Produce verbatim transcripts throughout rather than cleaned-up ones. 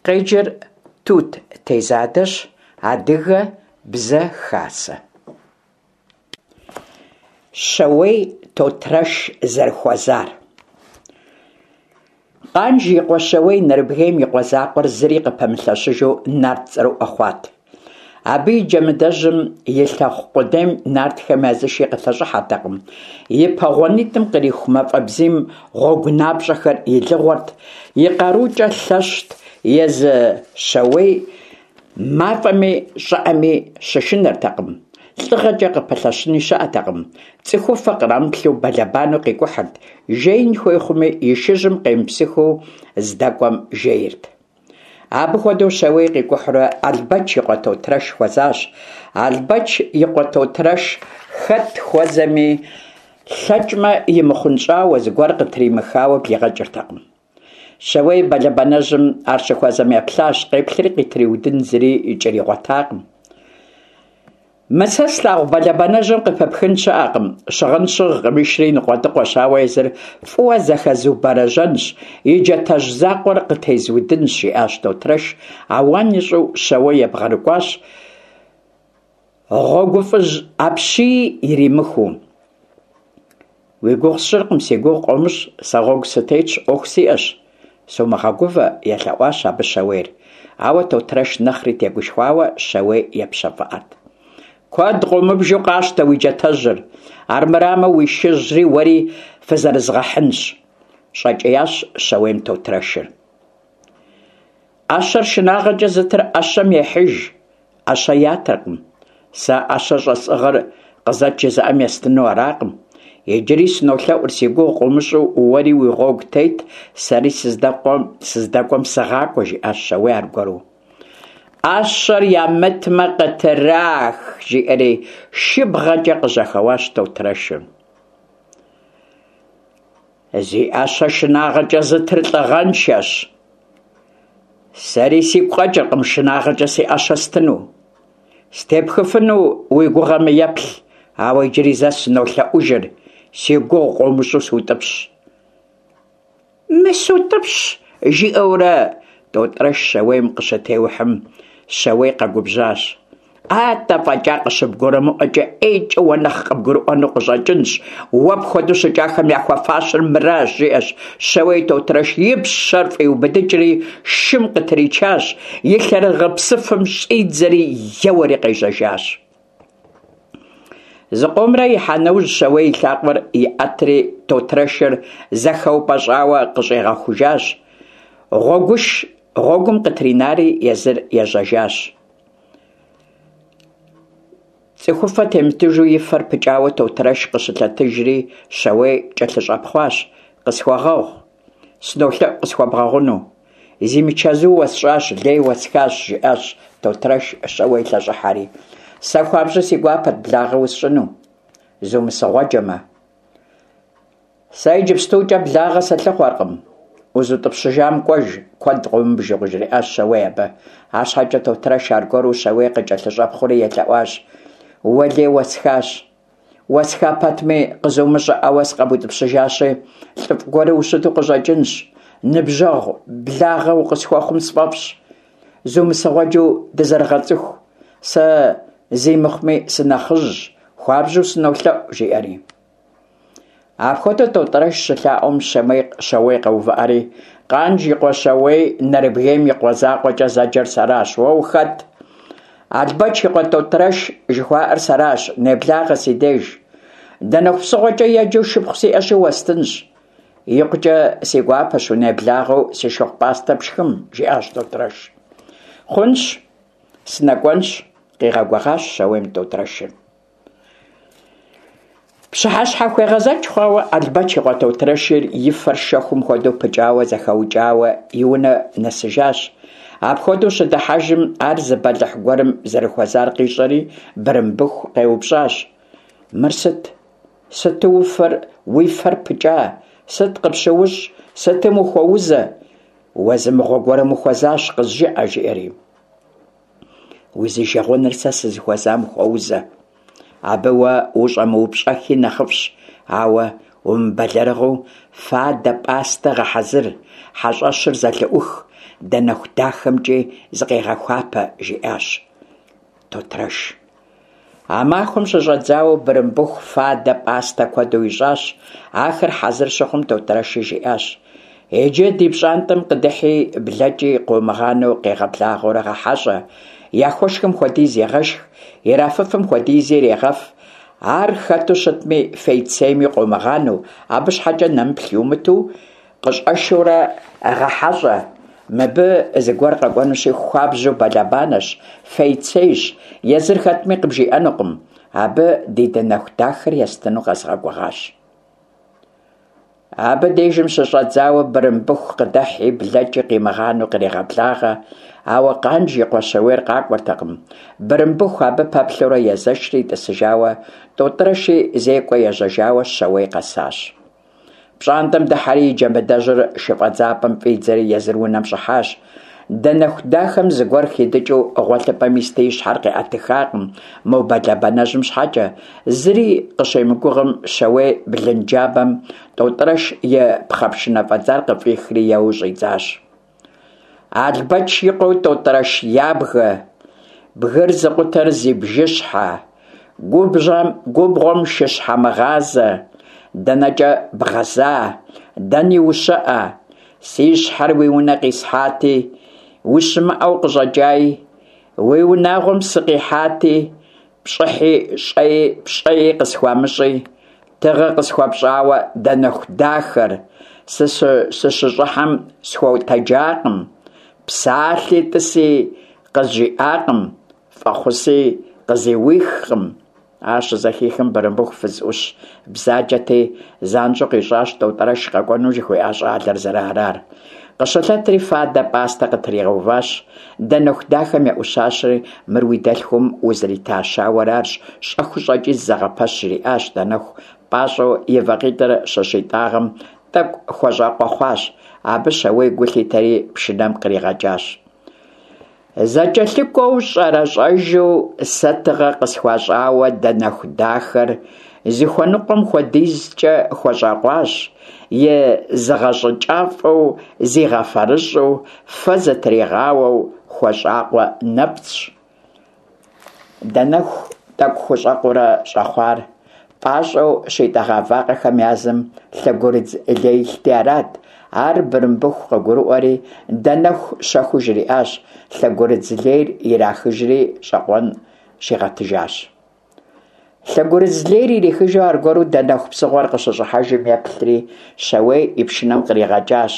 Къеджэр Тут Тезадэщ. Адыгэ Бзэ Хасэ. Щэуей Тотрэш зэрыхуэзар. Къанж и къуэ Щэуей Нэрыбгейм и къуэ закъуэр зыри къыпэмылъэщыжу нарт цӏэрыӏуэ хъуат. Абы и джэмыдэжьым и лъэхъу къудейм нартхэм я зы ши къылъэщӏыхьэртэкъым. И пэ гъуанитӏым къриху мафӏэ бзийм гъуэгунапщӏэхэр илыгъуэрт, и къарукӏэ лъэщт, езы Щэуей мафӏэми щӏыӏэми щышынэртэкъым, лӏыгъэкӏэ къыпэлъэщыни щыӏэтэкъым, цӏыхуфэ кърамыплъу бэлэбанэу къикӏухьырт, жеин хуей хъуми, и шыжьым къемыпсыхыу здэкӏуэм жейрт. Абы хуэдэу Щэуей къикӏухьурэ Албэч и къуэ Тотрэш хуэзащ. Албэч и къуэ Тотрэш хэт хуэзэми, лъэкӏмэ имыхъунщӏауэ, зыгуэр къытримыхауэ блигъэкӏыртэкъым. Щэуей бэлэбанэжьым ар щыхуэзэм еплъащ, къеплъри къытриудын зыри кӏэригъуэтакъым. Мы сэ слъагъу бэлэбанэжьым къыпыпхын щыӏэкъым, щыгъын щыгъкъым, ишри ныкъуэдыкъуэщ, ауэ езыр фӏыуэ зэхэзубэрэжьэнщ, и джатэжь закъуэр къытезудынщ, жиӏащ Тотрэш, ауан ищӏу Щэуей ебгъэрыкӏуащ, гъуэгуфӏыжь апщий иримыхыу. Уи гугъу сщӏыркъым, си гугъу къыумыщӏ, сэ гъуэгу сытетщ, ӏуэху сиӏэщ, сумыгъэгувэ, елъэӏуащ абы Щэуейр. Ауэ Тотрэш нэхъри тегушхуауэ Щэуей епщэфӏыӏэрт. Куэд къыумыбжу къащтэ уи джатэжьыр, армырамэ уи шыжьри уэри фызэрызгъэхьынщ, щӏэкӏиящ Щэуейм Тотрэшыр. Ӏэщэр шынагъэкӏэ зытыр ӏэщэм ехьыж, ӏэщэ ятыркъым. Сэ ӏэщэ щӏэсӏыгъыр къызэт жызыӏэм естыну аракъым. Иджыри сынолъэӏур, си гугъу къыумыщӏу уэри уи гъуэгу тет, сэри сыздэкӏуэм сыгъакӏуэ, жиӏащ Щэуей аргуэру. Ӏэщэр ямытмэ, къытрах, жиӏэри шыбгъэкӏэ къыжьэхэуащ Тотрэшыр. Зи ӏэщэ шынагъэкӏэ зытыр лӏыгъэншэщ. Сэри сигу къэкӏыркъым шынагъэкӏэ си ӏэщэ стыну. Степхыфыну уи гугъэмэ еплъ, ауэ иджыри зэ сынолъэӏужыр, си гугъу къыумыщӏу сутӏыпщ. Мы сутӏыпщ, жиӏэурэ Тотрэш Щэуейм къыщытеухьым, Щэуей къэгубжьащ. Атӏэ фӏэкӏа къыщыбгурымыӏуэкӏэ ӏейкӏэ уэ нэхъ къыбгурыӏуэну къыщӏэкӏынщ, уэ пхуэдэу щыкӏахэм яхуэфащэр мыращ, жиӏэщ. Щэуей Тотрэш и пщэр фӏиубыдыкӏри шым къытричащ, и лъэрыгъыпсыфым щӏидзэри еуэри къежьэжащ. Зыкъомрэ ихьа нэужь, Щэуей и лъакъуэр иӏэтри Тотрэшыр зэхэупӏэщӏауэ къыщӏигъэхужащ. Гъуэгуш гъуэгум къытринари езыр ежьэжащ. Цӏыхуфэ темытыжу и фэр пыкӏауэ Тотрэш къыщылъэтыжри Щэуей кӏэлъыщӏэпхъуащ. Къысхуэгъэгъу, сынолъэӏу къысхуэбгъэгъуну. Зимычэзу уэсщӏащ, лей уэсхащ, жиӏащ Тотрэш Щэуей лъэщӏыхьэри. Сэ хуабжьу си гуапэт благъэ усщӏыну, зумысыгъуэджэмэ. Сэ иджыпстукӏэ благъэ сылъыхъуэркъым. Узутӏыпщыжам кӏуэж, куэд къыумыбжу, къыжриӏащ Щэуей абы. Арщхьэкӏэ Тотрэш аргуэру Щэуей къыкӏэлъыщӏэпхъуэри елъэӏуащ. Уэ лей уэсхащ. Уэсха пэтми, къызумыщӏэӏауэ сыкъэбутӏыпщыжащи, лӏыфӏ гуэру ущыту къыщӏэкӏынщ. Ныбжьэгъу благъэ укъысхуэхъум сфӏэфӏщ. Зумысыгъуэджэу дызэрыгъэцӏыху. Сэ зи мыхъуми сынэхъыжьщ, хуабжьу сынолъэӏу, жиӏэри. Апхуэдэу Тотрэш щылъаӏуэм Щэуей къэувыӏэри, Къанж и къуэ Щэуей Нэрыбгейм и къуэ закъуэкӏэ зэджэр сэращ, уэ ухэт? Албэч и къуэ Тотрэш жыхуаӏэр сэращ, неблагъэ си деж. Данэху псыгъуэкӏэ еджэу шыпхъу сиӏэщи уэстынщ. Икъукӏэ си гуапэщ унеблагъэу си шыгъу пӏастэ пшхым, жиӏащ Тотрэш. Хъунщ, сынэкӏуэнщ, къигъэгугъащ Щэуейм Тотрэшыр. Пщыхьэщхьэхуегъэзэкӏ хъуауэ Албэч и къуэ Тотрэшыр и фэр шэхум хуэдэу пыкӏауэ зэхэукӏауэ и унэ нэсыжащ. Апхуэдэу щыдыхьэжым ар зы бэлыхь гуэрым зэрыхуэзар къищӏэри Бырымбыху къеупщӏащ. Мыр сыт? Сыту уфэр, уи фэр пыкӏа? Сыт къыпщыущӏ? Сытым ухуэузэ? Уэ зы мыгъуэ гуэрым ухуэзащ, къызжыӏэ, жиӏэри. Узижэгъуэныр сэ сызыхуэзам хуэузэ. Абы уэ ущӏэмыупщӏэххи нэхъыфӏщ, ауэ Умыбэлэрыгъыу фадэ, пӏастэ гъэхьэзыр, хьэщӏэщыр зэлъыӏух, Данэху дахэмкӏи зыкъегъэхуапэ, - жиӏащ Тотрэш. А махуэм щыщӏэдзауэ Бырымбыху фадэ, пӏастэ куэду ищӏащ. Ахэр хьэзыр щыхъум, Тотрэши жиӏащ: «Иджы ди пщӏантӏэм къыдыхьи блэкӏи къыумыгъанэу къегъэблагъэурэ гъэхьэщӏэ, яхуэшхым хуэдиз егъэшх, ирафыфым хуэдизи ирегъэф, ар хэту щытми фейцейми къыумыгъанэу, абы щхьэкӏэ нэмыплъ иумыту къыщӏэшурэ гъэхьэщӏэ. Мыбы зыгуэр къэкӏуэнущи, хуабжьу бэлэбанэщ, фейцейщ, езыр хэтми къыбжиӏэнукъым. Абы ди Данэху дахэр естыну къэзгъэгугъащ». Абы дежым щыщӏэдзауэ Бырымбыху къыдыхьи блэкӏи къимыгъанэу кърегъэблагъэ, ауэ Къанж и къуэ Щауейр къакӏуэртэкъым. Бырымбыху абы пэплъэурэ езэшри тӏысыжауэ, Тӏотӏрэши зекӏуэ ежьэжауэ Щауей къэсащ. Пщӏантӏэм дыхьэри и джэмыдэжьыр шыфӏэдзапӏэм фӏидзэри езыр унэм щӏыхьащ. Данэху дахэм зыгуэр хидыкӏыу гъуэлъыпӏэм исти и щхьэр къиӏэтыххакъым мо бэлэбанэжьым щхьэкӏэ. Зыри къыщемыгугъым, Щауей блынджабэм Тӏотӏрэш и пхъэпшынэ фӏэдзар къыфӏихри еуэу щӏидзащ. Албэч и къуэу Тӏотӏрэш ябгэ, бгыр зыкъутэр зи бжыщхьэ, губгъуэм шыщхьэмыгъазэ, дэнэкӏэ бгъэза, дэни ущыӏэ? Си щхьэр уи унэ къисхьати, ущымыӏэу къыщӏэкӏаи, уи унагъуэм сыкъихьати, пщӏыхьи щӏэи пщӏэи къысхуамыщӏи, тыгъэ къысхуэпщӏауэ Данэху дахэр, сыщыщӏыхьэм схуэтэджакъым, псалъи тӏыси къызжиӏакъым, фӏэхъуси къызуихкъым. Ар щызэхихым, Бырымбыху фыз ӏущ бзаджэти, занщӏэу къищӏащ Тӏотӏрэш къэкӏуэну жыхуиӏа щӏалэр зэрыарар. Къыщылъэтри фадэ, пӏастэ къытригъэуващ. Данэху дахэм еӏущащэри, мыр уи дэлъхум узрита щауэр арщ, щӏэхыу щӏэкӏи зэгъэпэщ, жриӏащ. Данэху пӏащӏэу и вакъитӏыр щыщитӏагъэм, тӏэкӏу хуэщӏакъуэ хъуащ. Абы Щауей гу лъитэри пшынэм къригъэкӏащ. Зэкӏэлъыкӏуэу щӏэрэщӏэжу сэ тыгъэ къысхуащӏауэ Данэху дахэр зыхуэныкъуэм хуэдизкӏэ хуэщӏакъуащ, и зыгъэщӏыкӏафӏэу, зигъэфэрыщӏу, фэ зытригъауэу хуэщӏакъуэ нэпцӏщ. Данэху тӏэкӏу хущӏэкъуурэ щӏэхъуар, пӏащӏэу щитӏэгъа вакъэхэм язым лъэгурыдз лей илъти арат. Ар Бырымбыху къыгурыӏуэри, Данэху щэхуу жриӏащ, лъэгурыдз лейр ирахыжри щӏэкъуэн щигъэтыжащ. Лъэгурыдз лейр ирихыжу аргуэру Данэху псыгъуэр къыщыщӏыхьэжым еплъри, Щауей и пшынэм къригъэкӏащ.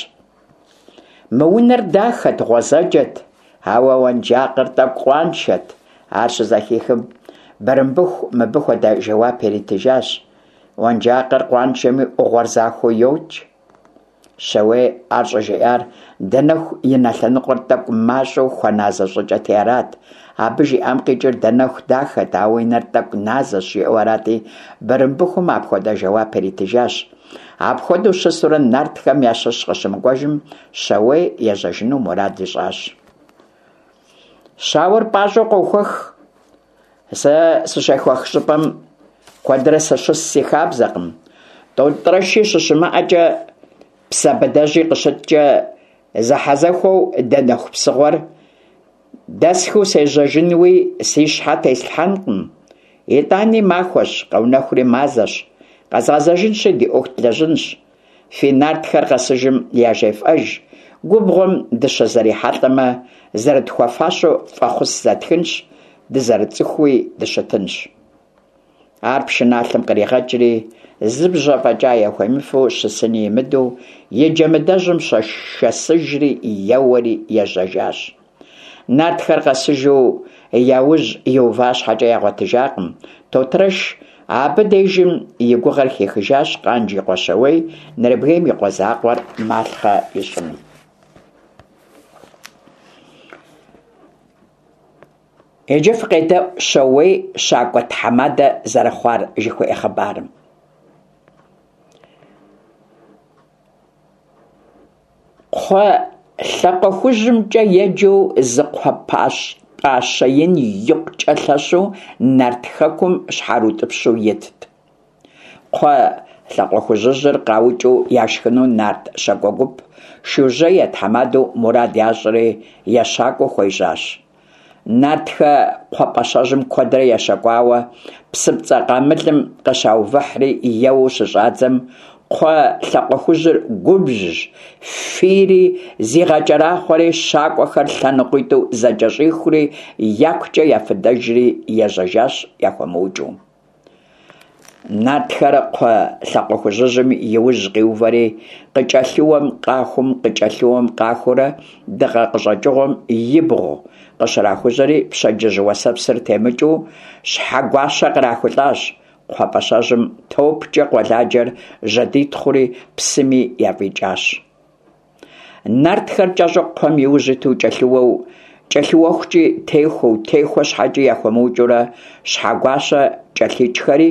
Мы унэр дахэт, гъуэзэджэт, ауэ уэнжакъыр тӏэкӏу къуаншэт. Ар щызэхихым, Бырымбыху мыбы хуэдэ жэуап иритыжащ: Уэнжакъыр къуаншэми, ӏугъуэр захуэу йокӏ. Щауей ар щӏыжиӏар Данэху и нэ лъэныкъуэр тӏэкӏу мащӏэу хуэназэ щӏыкӏэти арат. Абы жиӏам къикӏыр Данэху дахэт, ауэ и нэр тӏэкӏу назэщ, жиӏэу арати, Бырымбыхум апхуэдэ жэуап иритыжащ. Апхуэдэу щысурэ нартхэм ящыщ къыщымыкӏуэжым, Щауей ежьэжыну мурад ищӏащ. Щауэр пӏащӏэу къохуэх. Сэ сыщехуэх щӏыпӏэм куэдрэ сыщыс си хабзэкъым. Тӏотӏрэши щыщымыӏэкӏэ, Псэбыдэжьи къыщыткӏэ зэхьэзэхуэу Данэху псыгъуэр дэсхыу сежьэжынуи си щхьэ теслъхьэнкъым. Итӏани махуэщ, къэунэхури мазэщ. Къэзгъэзэжынщи ди ӏуэху длэжьынщ. Фи нартхэр къэсыжым яжефӏэж, губгъуэм дыщызэрихьэлӏэмэ, зэрытхуэфащэу фӏэхъус зэтхынщ, дызэрыцӏыхууи дыщытынщ. Ар пшыналъэм къригъэкӏри, зы бжьэ фӏэкӏа яхуемыфэу щысыни имыдэу, и джэмыдэжьым шэсыжри еуэри ежьэжащ. Нартхэр къэсыжу я ужь иува щхьэкӏэ ягъуэтыжакъым. Тотрэш абы дежым и гугъэр хихыжащ Къанж и къуэ Щауей Нэрыбгейм и къуэ закъуэр малъхъэ ищӏыну. Иджы фыкъедэӏу Щауей щакӏуэ тхьэмадэ зэрыхъуар жыхуиӏэ хъыбарым. Кхъуэ лъакъуэхужьымкӏэ еджэу зы кхъуэ пӏащэ ин икъукӏэ лъэщу Нарт хэкум щхьэрыутӏыпщу итт. Кхъуэ Лъакъуэ Хужьыжьыр къаукӀыу яшхыну нарт щакӀуэ гуп, Шужьей я тхьэмадэу, мурад ящӀри ещакӀуэу хуежьащ. Нартхэ кхъуэпӀащэжьым куэдрэ ещэкӀуауэ, псыпцӀэ къамылым къыщаувыхьри еуэу щыщӀадзэм, кхъуэ Лъакъуэ Хужьыр губжьщ, фийри, зигъэкӀэрахъуэри, щакӀуэхэр лъэныкъуитӀу зэкӀэщӀихури, якукӀэ ефыдэжри ежьэжащ яхуэмыукӀыу. Нартхэр кхъуэ Лъакъуэ Хужьыжьым и ужь къиувэри, къыкӀэлъыуэм къахум, къыкӀэлъыуэм къахуурэ, дыгъэ къыщӀэкӀыгъуэм ибгъу къыщрахужьэри, пщэдджыжь уэсэпсыр темыкӀыу Щхьэгуащэ кърахулӀащ. КхъуэпӀащэжьым топкӀэ къуэладжэр жьэдитхъури, псыми яфӀикӀащ. Нартхэр кӀэщӀу кхъуэм и ужь иту кӀэлъыуэу, кӀэлъыуэхукӀи техуэу, техуэ щхьэкӀи яхуэмыукӀыурэ, Щхьэгуащэ кӀэлъикӀхэри,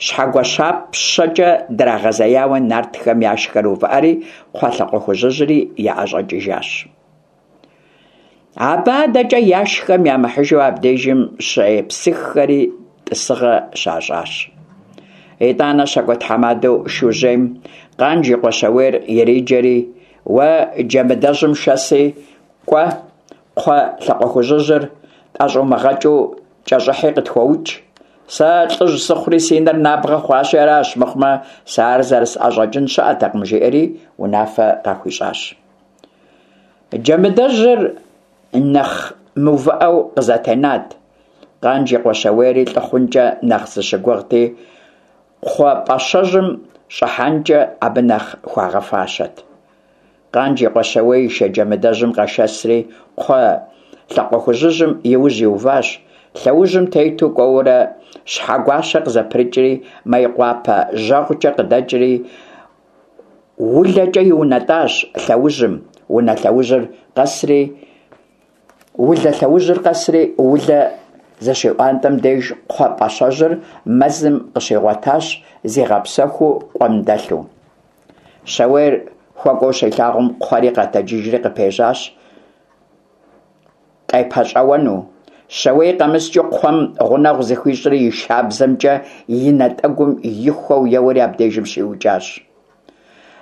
ЩхьэгуащапщэкӀэ драгъэзеяуэ нартхэм яшхэр увыӀэри, кхъуэ Лъакъуэ Хужьыжьри яӀэщӀэкӀыжащ. Абы адэкӀэ яшхэм ямыхьыжу абдежым щепсыххэри тӀысыгъэ щащӀащ. ИтӀанэ щакӀуэ тхьэмадэу Шужьейм Къанж и къуэ Щауейр ириджэри: «Уэ Джэмыдэжьым шэси, кӀуэ, кхъуэ Лъакъуэ Хужьыжьыр тӀэщӀумыгъэкӀыу кӀэщӀыхьи къытхуэукӀ. Сэ лӀыжь сыхъури си нэр набгъэ хъуащи аращ, мыхъумэ, сэ ар зэрысӀэщӀэкӀын щыӀэтэкъым», – жиӀэри унафэ къахуищӀащ. Джэмыдэжьыр нэхъ мыувыӀэу къызэтенат. Къанж и къуэ Щауейри лӀы хъункӀэ нэхъ зыщыгугъти, кхъуэпӀащэжьым щӀыхьэнкӀэ абы нэхъ хуагъэфащэт. Къанж и къуэ Щауей и шы Джэмыдэжьым къэшэсри, кхъуэ Лъакъуэ Хужьыжьым и ужь иуващ. Лъэужьым тету кӀуэурэ, Щхьэгуащэ къызэпрыкӀри, Мейкъуапэ жьэгъукӀэ къыдэкӀри, УлэкӀэ иунэтӀащ лъэужьым. Унэ лъэужьыр къэсри, Улэ лъэужьыр къэсри, Улэ зыщиӀуантӀэм деж кхъуэпӀащэжьыр мэзым къыщигъуэтащ, зигъэпсэхуу къуэм дэлъу. Щауейр хуэкӀуэу щилъагъум, кхъуэри къэтэджыжри къыпежьащ, къепэщӀэуэну. Щауей къэмыскӀэу кхъуэм гъунэгъу зыхуищӀри и шабзэмкӀэ и натӀэгум ихуэу еуэри абдежым щиукӀащ.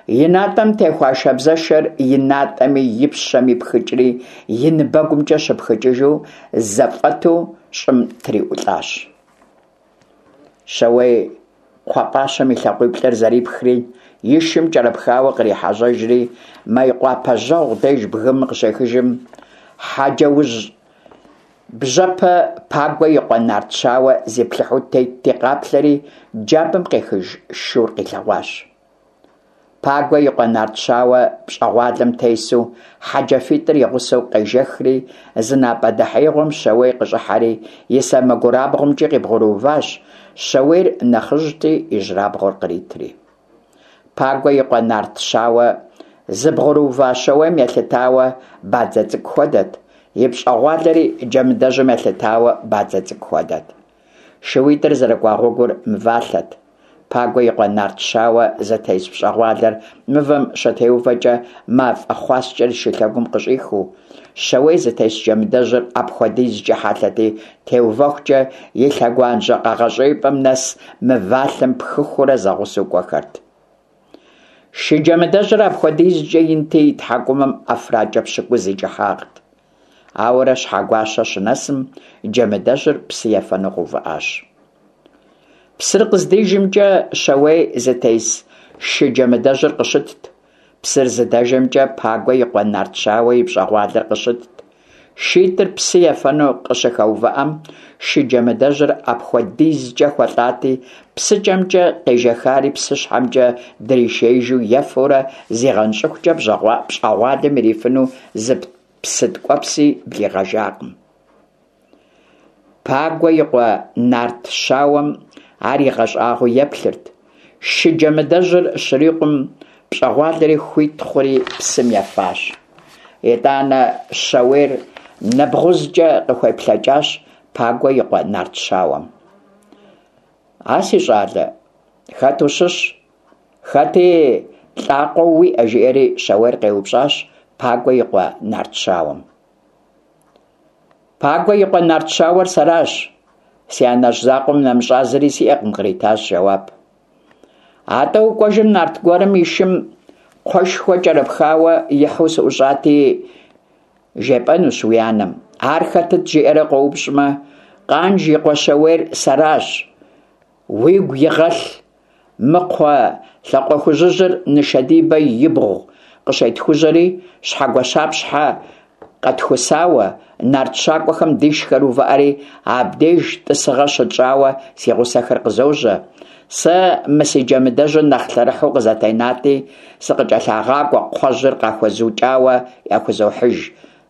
И натӀэм техуа шабзэшэр и натӀэми и пщэми пхыкӀри, и ныбэгумкӀэ щыпхыкӀыжу зэфӀэту щӀым триӀулӀащ. Щауей кхъуэпӀащэм и лъакъуиплӀыр зэрипхри, и шым кӀэрыпхауэ кърихьэжьэжри, Мейкъуапэ жьэгъу деж бгым къыщехыжым, Хьэджэужь бжьэпэ Пагуэ и къуэ Нарт Щауэ зиплъыхьу тетти къаплъэри, джабэм къехыж шур къилъэгъуащ. Пагуэ и къуэ Нарт Щауэ пщӀэгъуалэм тесу, хьэджафитӀыр и гъусэу къежэхри, зы напӀэ дэхьеигъуэм Щауей къыщӀыхьэри, и сэмэгурабгъумкӀи къыбгъурыуващ, Щауейр нэхъыжьти, ижьырабгъур къритри. Пагуэ и къуэ Нарт Щауэ зыбгъурыува Щауейм елъытауэ бадзэ цӀыкӀу хуэдэт, и пщӀэгъуалэри Джэмыдэжьым елъытауэ бадзэ цӀыкӀу хуэдэт. ШууитӀыр зэрыкӀуа гъуэгур мывалъэт. Пагуэ и къуэ Нарт Щауэ зытес пщӀэгъуалэр мывэм щытеувэкӀэ мафӀэ хъуаскӀэр шылъэгум къыщӀихыу, Щауей зытес Джэмыдэжьыр апхуэдизкӀэ хьэлъэти, теувэхукӀэ и лъэгуажьэ къэгъэщӀейпӀэм нэс мывалъэм пхыхуурэ зэгъусэу кӀуэхэрт. Шы Джэмыдэжьыр апхуэдизкӀэ инти, и тхьэкӀумэм ӀэфракӀэ пщыкӀуз и кӀыхьагът. Ауэрэ Щхьэгуащэ щынэсым, Джэмыдэжьыр псы ефэну къэувыӀащ. Псыр къыздижымкӀэ Щауей зытес шы Джэмыдэжьыр къыщытт. Псыр зыдэжэмкӀэ Пагуэ и къуэ Нарт Щауэ и пщӀэгъуалэр къыщытт. ШитӀыр псы ефэну къыщыхэувыӀэм, шы Джэмыдэжьыр апхуэдизкӀэ хуэлӀати, псыкӀэмкӀэ къежэхари псыщхьэмкӀэ дришеижу ефэурэ зигъэнщӀыхукӀэ пщӀэгъуалэм ирифыну зы псы ткӀуэпси блигъэжакъым. Пагуэ и къуэ Нарт Щауэм ар игъэщӀагъуэу еплъырт. Шы Джэмыдэжьыр щрикъум, пщӀэгъуалэри хуит хъури псым ефащ. ИтӀанэ Щауейр нэбгъузкӀэ къыхуеплъэкӀащ Пагуэ и къуэ Нарт Щауэм. А си щӀалэ, хэт ущыщ? Хэти лӀакъуэу уиӀэ? – жиӀэри Щауейр къеупщӀащ Пагуэ и къуэ Нарт Щауэм. Пагуэ и къуэ Нарт Щауэр сэращ, си анэжь закъуэм нэмыщӀа зыри сиӀэкъым, къритащ жэуап. Атӏэ укӏуэжым нарт гуэрым и шым кхъуэшхуэ кӏэрыпхауэ ихьу сыӏущӏати, жепӏэнущ уи анэм. Ар хэтыт жиӏэрэ къоупщӏмэ, Къанж и къуэ Щауейр сэращ, уигу игъэлъ, мы кхъуэ лъакъуэхужьыжьыр нышэдибэ ибгъу къыщетхужьэри, щхьэгуащапщхьэ къэтхусауэ, нарт щакӏуэхэм дишхэр увыӏэри, абдеж тӏысыгъэ щытщӏауэ си гъусэхэр къызожьэ. Сэ мы си джэмыдэжьыр нэхъ лъэрыхьу къызэтенати, сыкъыкӏэлъагъакӏуэ кхъуэжьыр къахуэзукӏауэ яхузохьыж.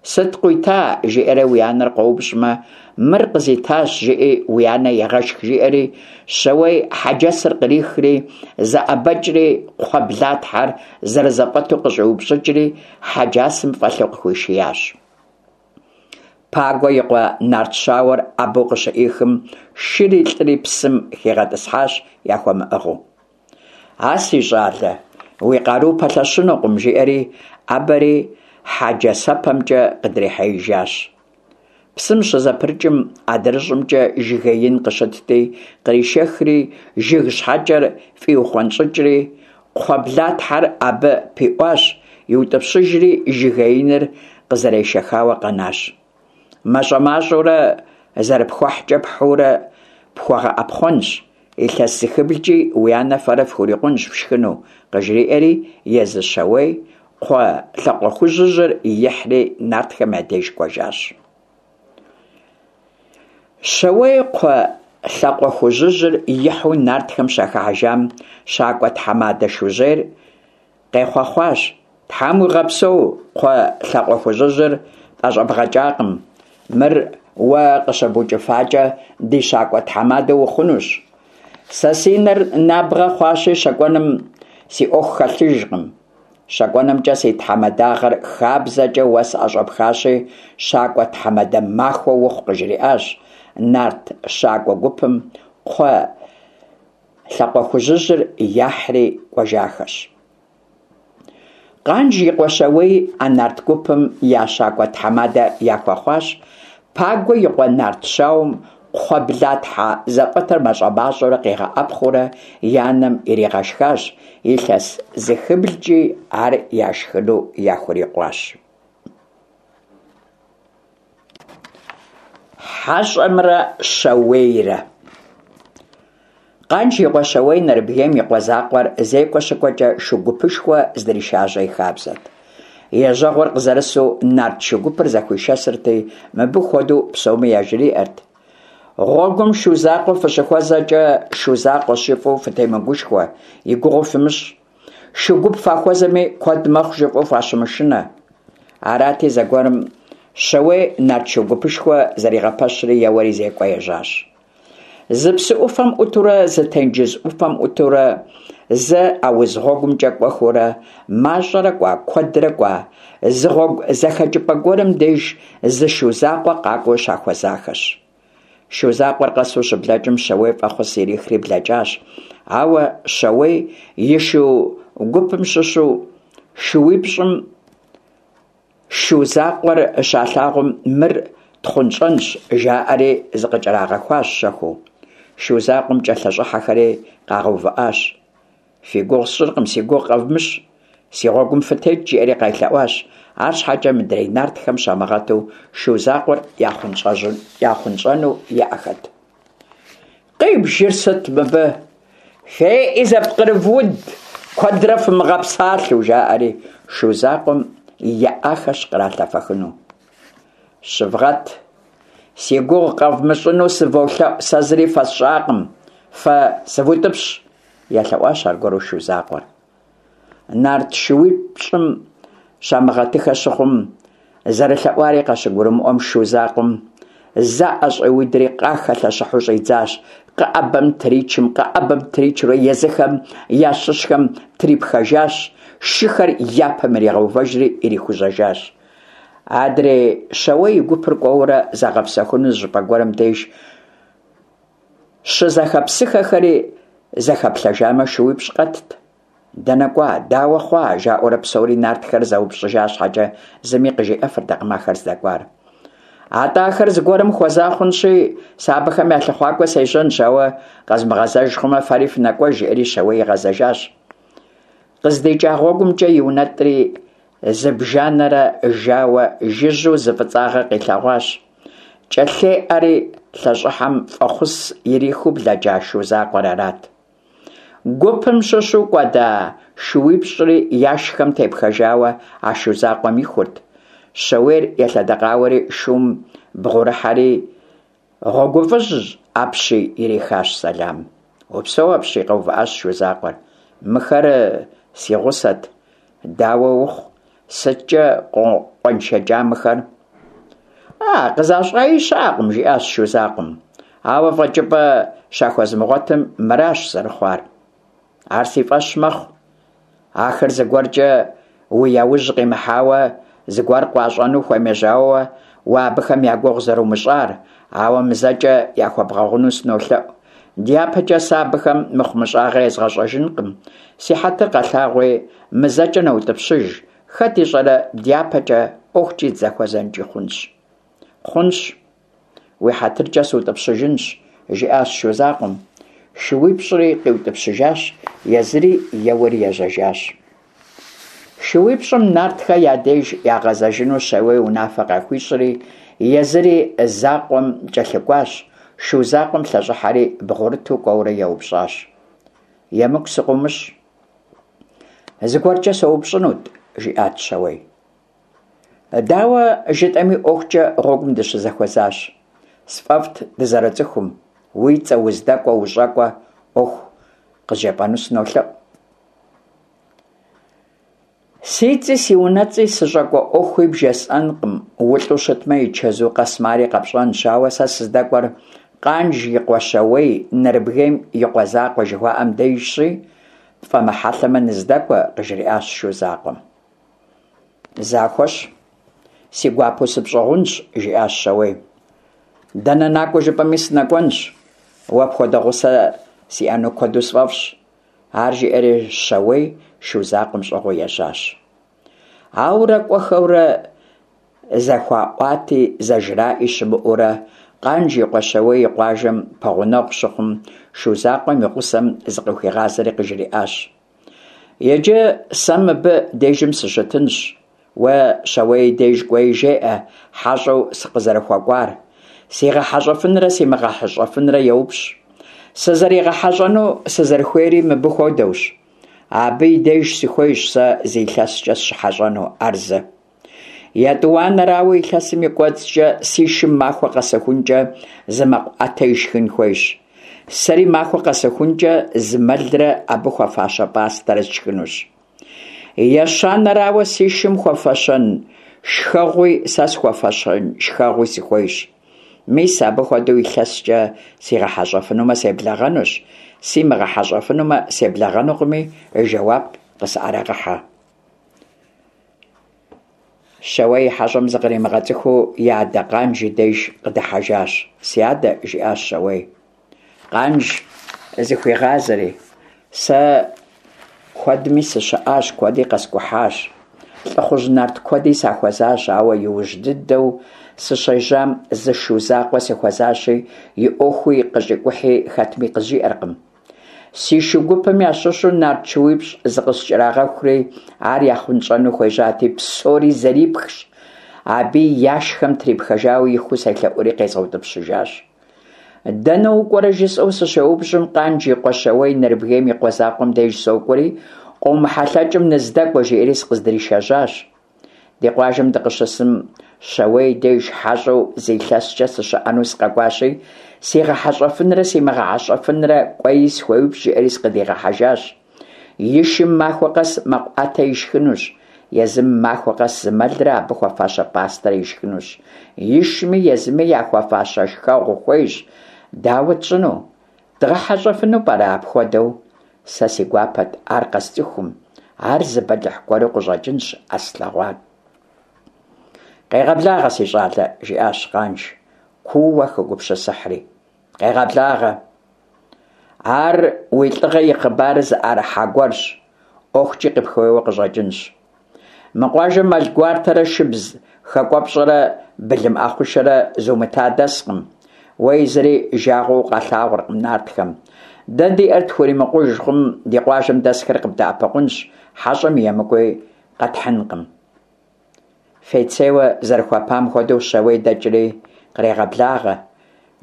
Сыт къуита? Жиӏэрэ уи анэр къоупщӏмэ, мыр къызитащ, жыӏи уи анэ егъэшх, жиӏэри, Щауей хьэджэсыр кърихри, зэӏэбэкӏри, кхъуэ блатхьэр зэрызэфӏэту къыщӏиупщӏыкӏри, хьэджасэм фӏэлъу къыхуишиящ. Пагуэ и къуэ нарт щауэр ӏэбэу къыщыӏихым, шыри лӏыри псым хигъэтӏысхьащ яхуэмыӏыгъыу. А си щӏалэ, уи къару пэлъэщынукъым, жиӏэри, ӏэбэри хьэджасэпэмкӏэ къыдрихьеижащ. Псым щызэпрыкӏым, адрыщӏымкӏэ жыгей ин къыщытти, къришэхри, жыг щхьэкӏэр фӏиухъуэнщӏыкӏри, кхъуэ блатхьэр абы пиӏуащ, иутӏыпщыжри, жыгеиныр къызэрешэхауэ къэнащ. Мащӏэ-мащӏэурэ зэрыпхуэхькӏэ пхьыурэ пхуэгъэӏэпхъуэнщ, илъэс зыхыблкӏи уи анэ фэрэ фхурикъунщ фшхыну, къыжриӏэри, езы Щауей кхъуэ лъакъуэхужьыжьыр ихьри нартхэм я деж кӏуэжащ. Щауей кхъуэ лъакъуэхужьыжьыр ихьу нартхэм щахыхьэжам, щакӏуэ тхьэмадэ Шужьейр къехъуэхъуащ: Тхьэм уигъэпсэу, кхъуэ лъакъуэхужьыжьыр тӏэщӏэбгъэкӏакъым. Мыр уэ къыщыбукӏыфакӏэ, ди щакӏуэ тхьэмадэ ухъунущ. Сэ си нэр набгъэ хъуащи, щэкӏуэным си ӏуэху хэлъыжкъым. Щэкӏуэнымкӏэ си тхьэмадагъэр хабзэкӏэ уэ сӏэщӏэпхащи, щакӏуэ тхьэмадэ махуэ ухъу, къыжриӏащ. Нарт щакӏуэ гупым кхъуэ лъакъуэхужьыжьыр яхьри кӏуэжахэщ. Къанж и къуэ Щауей а нарт гупым я щакӏуэ тхьэмадэ яхуэхъуащ. Пагуэ и къуэ нарт щауэм кхъуэ блатхьэ зэфӏэтыр мащӏэ-мащӏэурэ къигъэӏэпхъуэурэ и анэм иригъэшхащ, илъэс зыхыблкӏи ар яшхыну яхурикъуащ. Хьэщӏэмрэ Щауейрэ. Къанж и къуэ Щауей Нэрыбгейм и къуэ закъуэр зекӏуэ щыкӏуэкӏэ шу гупышхуэ здришажьэ и хабзэт. Ежьэгъуэр къызэрысу нарт шу гупыр зэхуишэсырти, мыбы хуэдэу псоми яжриӏэрт: Гъуэгум шу закъуэ фыщыхуэзэкӏэ, шу закъуэщ жыфӏэу фытемыгушхуэ, и гугъу фымыщӏ. Шу гуп фахуэзэми, куэд мэхъу жыфӏэу фащымышынэ. Арати, зэгуэрым Щауей нарт шу гупышхуэ зэригъэпэщри, еуэри зекӏуэ ежьащ. Зы псы ӏуфэм ӏутурэ, зы тенджыз ӏуфэм ӏутурэ, зы ауз гъуэгумкӏэ кӏуэхыурэ, мащӏэрэ кӏуа, куэдрэ кӏуа, зы гъуэгу зэхэкӏыпӏэ гуэрым деж зы шу закъуэ къакӏуэу щахуэзахэщ. Шу закъуэр къэсу щыблэкӏым, Щауей фӏэхъус ирихри блэкӏащ. Ауэ Щауей и шу гупым щыщу шууипщӏым шу закъуэр щалъагъум, мыр тхъунщӏэнщ, жаӏэри зыкъыкӏэрагъэхуащ щэхуу. Шу закъуэм кӏэлъыщӏыхьэхэри къагъэувыӏащ. Фи гугъу сщӏыркъым, си гугъу къэвмыщӏ, си гъуэгум фытекӏ, жиӏэри къелъэӏуащ. Арщхьэкӏэ мыдрей нартхэм щамыгъэту шу закъуэр яхъунщӏэну еӏэхэт. Къибжыр сыт мыбы? Феӏи зэпкърывуд, куэдрэ фымыгъэпсалъэу, жаӏэри шу закъуэм еӏахэщ къралъэфэхыну. Щывгъэт, си гугъу къэвмыщӏыну сыволъэӏу, сэ зыри фэсщӏакъым, фэ сывутӏыпщ, елъэӏуащ аргуэру шу закъуэр. Нарт шууипщӏым щамыгъэтыхэ щыхъум, зэрылъэӏуари къащыгурымыӏуэм, шу закъуэм зэ ӏэщӏиудри къахэлъэщыхьу щӏидзащ. Къэӏэбэм тричым, къэӏэбэм тричурэ езыхэм ящыщхэм трипхэжащ, шыхэр я пэм иригъэувэжри ирихужьэжащ. Адрей Щауей и гупыр кӏуэурэ загъэпсэхуну зы щӏыпӏэ гуэрым деж щызэхэпсыхэхэри зэхэплъэжамэ, шууипщӏ къэтт. Дэнэ кӏуа, дауэ хъуа, жаӏэурэ псори нартхэр зэупщӏыжа щхьэкӏэ, зыми къыжиӏэфыртэкъым ахэр здэкӏуар. Атӏэ ахэр зыгуэрым хуэза хъунщи, сэ абыхэм я лъыхъуакӏуэ сежьэнщ, ауэ къэзмыгъэзэж хъумэ, фэри фынэкӏуэж, жиӏэри Щауей игъэзэжащ. КъыздикӀа гъуэгумкӀэ иунэтӀри, зыбжанэрэ жауэ жыжьэу зы фӀыцӀагъэ къилъэгъуащ. КӀэлъеӀэри лъэщӀыхьэм, фӀэхъус ирихыу блэкӀа шу закъуэр арат. Гупым щыщу кӀуэда шууипщӀри яшхэм тепхэжауэ а шу закъуэм ихурт. Щауейр елъэдэкъауэри шум бгъурыхьэри, «ГъуэгуфӀыжь апщий!» ирихащ сэлам. «Упсэу апщий!» къэувыӀащ шу закъуэр. «Мыхэр си гъусэт, дауэ ухъу, сыткӀэ къокъуэншэкӀа мыхэр?» «А, къызащӀаи щыӀэкъым», жиӀащ шу закъуэм. «Ауэ фӀэкӀыпӀэ щахуэзмыгъуэтым, мыращ зэрыхъуар». «Ар си фӀэщ мэхъу. Ахэр зыгуэркӀэ уи яужь къимыхьауэ, зыгуэр къуащӀэну хуемыжьауэ уэ абыхэм я гугъу зэрумыщӀар, ауэ мы зэкӀэ яхуэбгъэгъуну сынолъэӀу. ДяпэкӀэ сэ абыхэм мыхъумыщӀагъэ езгъэщӀэжынкъым. Си хьэтыр къэлъагъуи, мы зэкӀэ нэутӀыпщыж, хэт ищӀэрэ дяпэкӀэ ӀуэхукӀи дызэхуэзэнкӀи хъунщ». «Хъунщ, уи хьэтыркӀэ сутӀыпщыжынщ», жиӀащ шу закъуэм. ШууипщӀри къиутӀыпщыжащ, езыри еуэри ежьэжащ. ШууипщӀым нартхэ я деж ягъэзэжыну Щауей унафэ къахуищӀри, езыри закъуэм кӀэлъыкӀуащ. Шу закъуэм лъэщӀыхьэри бгъурыту кӀуэурэ еупщӀащ: «ЕмыкӀу сыкъыумыщӀ, зыгуэркӀэ соупщӀынут», жиӀат Щауей. «Дауэ жытӀэми, ӀуэхукӀэ гъуэгум дыщызэхуэзащ. СфӀэфӀт дызэрыцӀыхум, уи цӀэ, уздэкӀуэ, ущӀэкӀуэ Ӏуэху къызжепӀэну сынолъэӀу». «Си цӀи, си унэцӀи, сыщӀэкӀуэ Ӏуэхуи бжесӀэнкъым, улӀу щытмэ, и чэзу къэсмэ ари къэпщӀэнщ, ауэ сэ сыздэкӀуэр Къанж и къуэ Щауей, Нэрыбгейм и къуэ закъуэ жыхуаӀэм дежщи, пфӀэмыхьэлъэмэ, ныздэкӀуэ», къыжриӀащ шу закъуэм. «Захуэщ, си гуапэу сыпщӀыгъунщ», жиӀащ Щауей. «Дэнэ накӀуэ жыпӀэми сынэкӀуэнщ, уэ пхуэдэ гъусэ сиӀэну куэду сфӀэфӀщ». Ар жиӀэри Щауей шу закъуэм щӀыгъуу ежьащ. Ауэрэ кӀуэхэурэ, зэхуаӀуати зэжраӀи щымыӀэурэ, Къанж и къуэ Щауей и къуажэм пэгъунэгъу щыхъум, шу закъуэм и гъусэм зыкъыхуигъазэри къыжриӀащ: «Иджы сэ мыбы дежым сыщытынщ, уэ Щауей деж кӀуэи жеӀэ хьэщӀэу сыкъызэрыхуэкӀуар. СигъэхьэщӀэфынрэ симыгъэхьэщӀэфынрэ еупщӀ. СызэригъэхьэщӀэну сызэрыхуейри мыбы хуэдэущ. Абы и деж сыхуейщ сэ зы илъэскӀэ сыщыхьэщӀэну, ар зы. ЕтӀуанэрауэ, илъэсым и кӀуэцӀкӀэ си шым махуэ къэсыхункӀэ зы мэкъу Ӏэтэ ишхын хуейщ. Сэри махуэ къэсыхункӀэ зы мэлрэ абы хуэфащэ пӀастэрэ сшхынущ. Ещанэрауэ, си шым хуэфэщэн шхэгъуи сэ схуэфэщэн шхэгъуи сыхуейщ. Мис абы хуэдэу илъэскӀэ сигъэхьэщӀэфынумэ, себлэгъэнущ, симыгъэхьэщӀэфынумэ, себлэгъэнукъыми, жэуап къысӀэрыгъэхьэ». Щауей и хьэщӀэм зыкъримыгъэцӀыхуу и адэ Къанж и деж къыдыхьэжащ. «Си адэ», жиӀащ Щауей, Къанж зыхуигъазэри, «сэ куэдми сыщыӀащ, куэди къэскӀухьащ, лӀыхъужь нарт куэди сахуэзащ, ауэ иужь дыдэу сыщежьам зы шу закъуэ сыхуэзащи, и Ӏуэхуи къыщӀикӀухьи хэтми къызжиӀэркъым. Си шу гупым ящыщу нарт шууипщӀ зыкъыскӀэрагъэхури, ар яхъунщӀэну хуежьати, псори зэрипхщ, абыи яшхэм трипхэжауэ ихуу селъэӀури къезгъэутӀыпщыжащ. Дэнэ укӀуэрэ жысӀэу сыщеупщӀым, Къанж и къуэ Щауей Нэрыбгейм и къуэ закъуэм деж сокӀуэри, къомыхьэлъэкӀым ныздэкӀуэ, жиӀэри сыкъыздришэжьащ. Ди къуажэм дыкъыщысым, Щауей деж хьэщӀэу зы илъэскӀэ сыщыӀэну сыкъэкӀуащи, сигъэхьэщӀэфынрэ симыгъэхьэщӀэфынрэ кӀуэи схуеупщӀ, жиӀэри сыкъыдигъэхьэжащ. И шым махуэ къэс мэкъу Ӏэтэ ишхынущ, езым махуэ къэс зы мэлрэ абы хуэфащэ пӀастэрэ ишхынущ. Ишми езыми яхуэфащэ шхэгъу хуейщ. Дауэ тщӀыну? ДгъэхьэщӀэфыну пӀэрэ апхуэдэу? Сэ си гуапэт ар къэсцӀыхум, ар зы бэлыхь гуэру къыщӀэкӀынщ а слъэгъуар». «Къегъэблагъэ, си щӀалэ», жиӀащ Къанж, куууэ хэгупсысыхьри. «Къегъэблагъэ. Ар уи лӀыгъэ и хъыбарыр зыӀэрыхьа гуэрщ, ӀуэхукӀи къыпхуейуэ къыщӀэкӀынщ. Мы къуажэм мэл гуартэрэ шыбз Хакӏуэпщӏэрэ былым ӏэхъушэрэ зумыта дэскъым. Уэи зыри жагъуэу укъалъагъуркъым нартхэм. Дэ диӏэр тхуримыкъуж хъум, ди къуажэм дэсхэр къыбдэӏэпыкъунщ, хьэщӏэм и емыкӏуи къэтхьынкъым. Фейцейуэ зэрыхуэпам хуэдэу Щауей дэкӏри кърегъэблагъэ,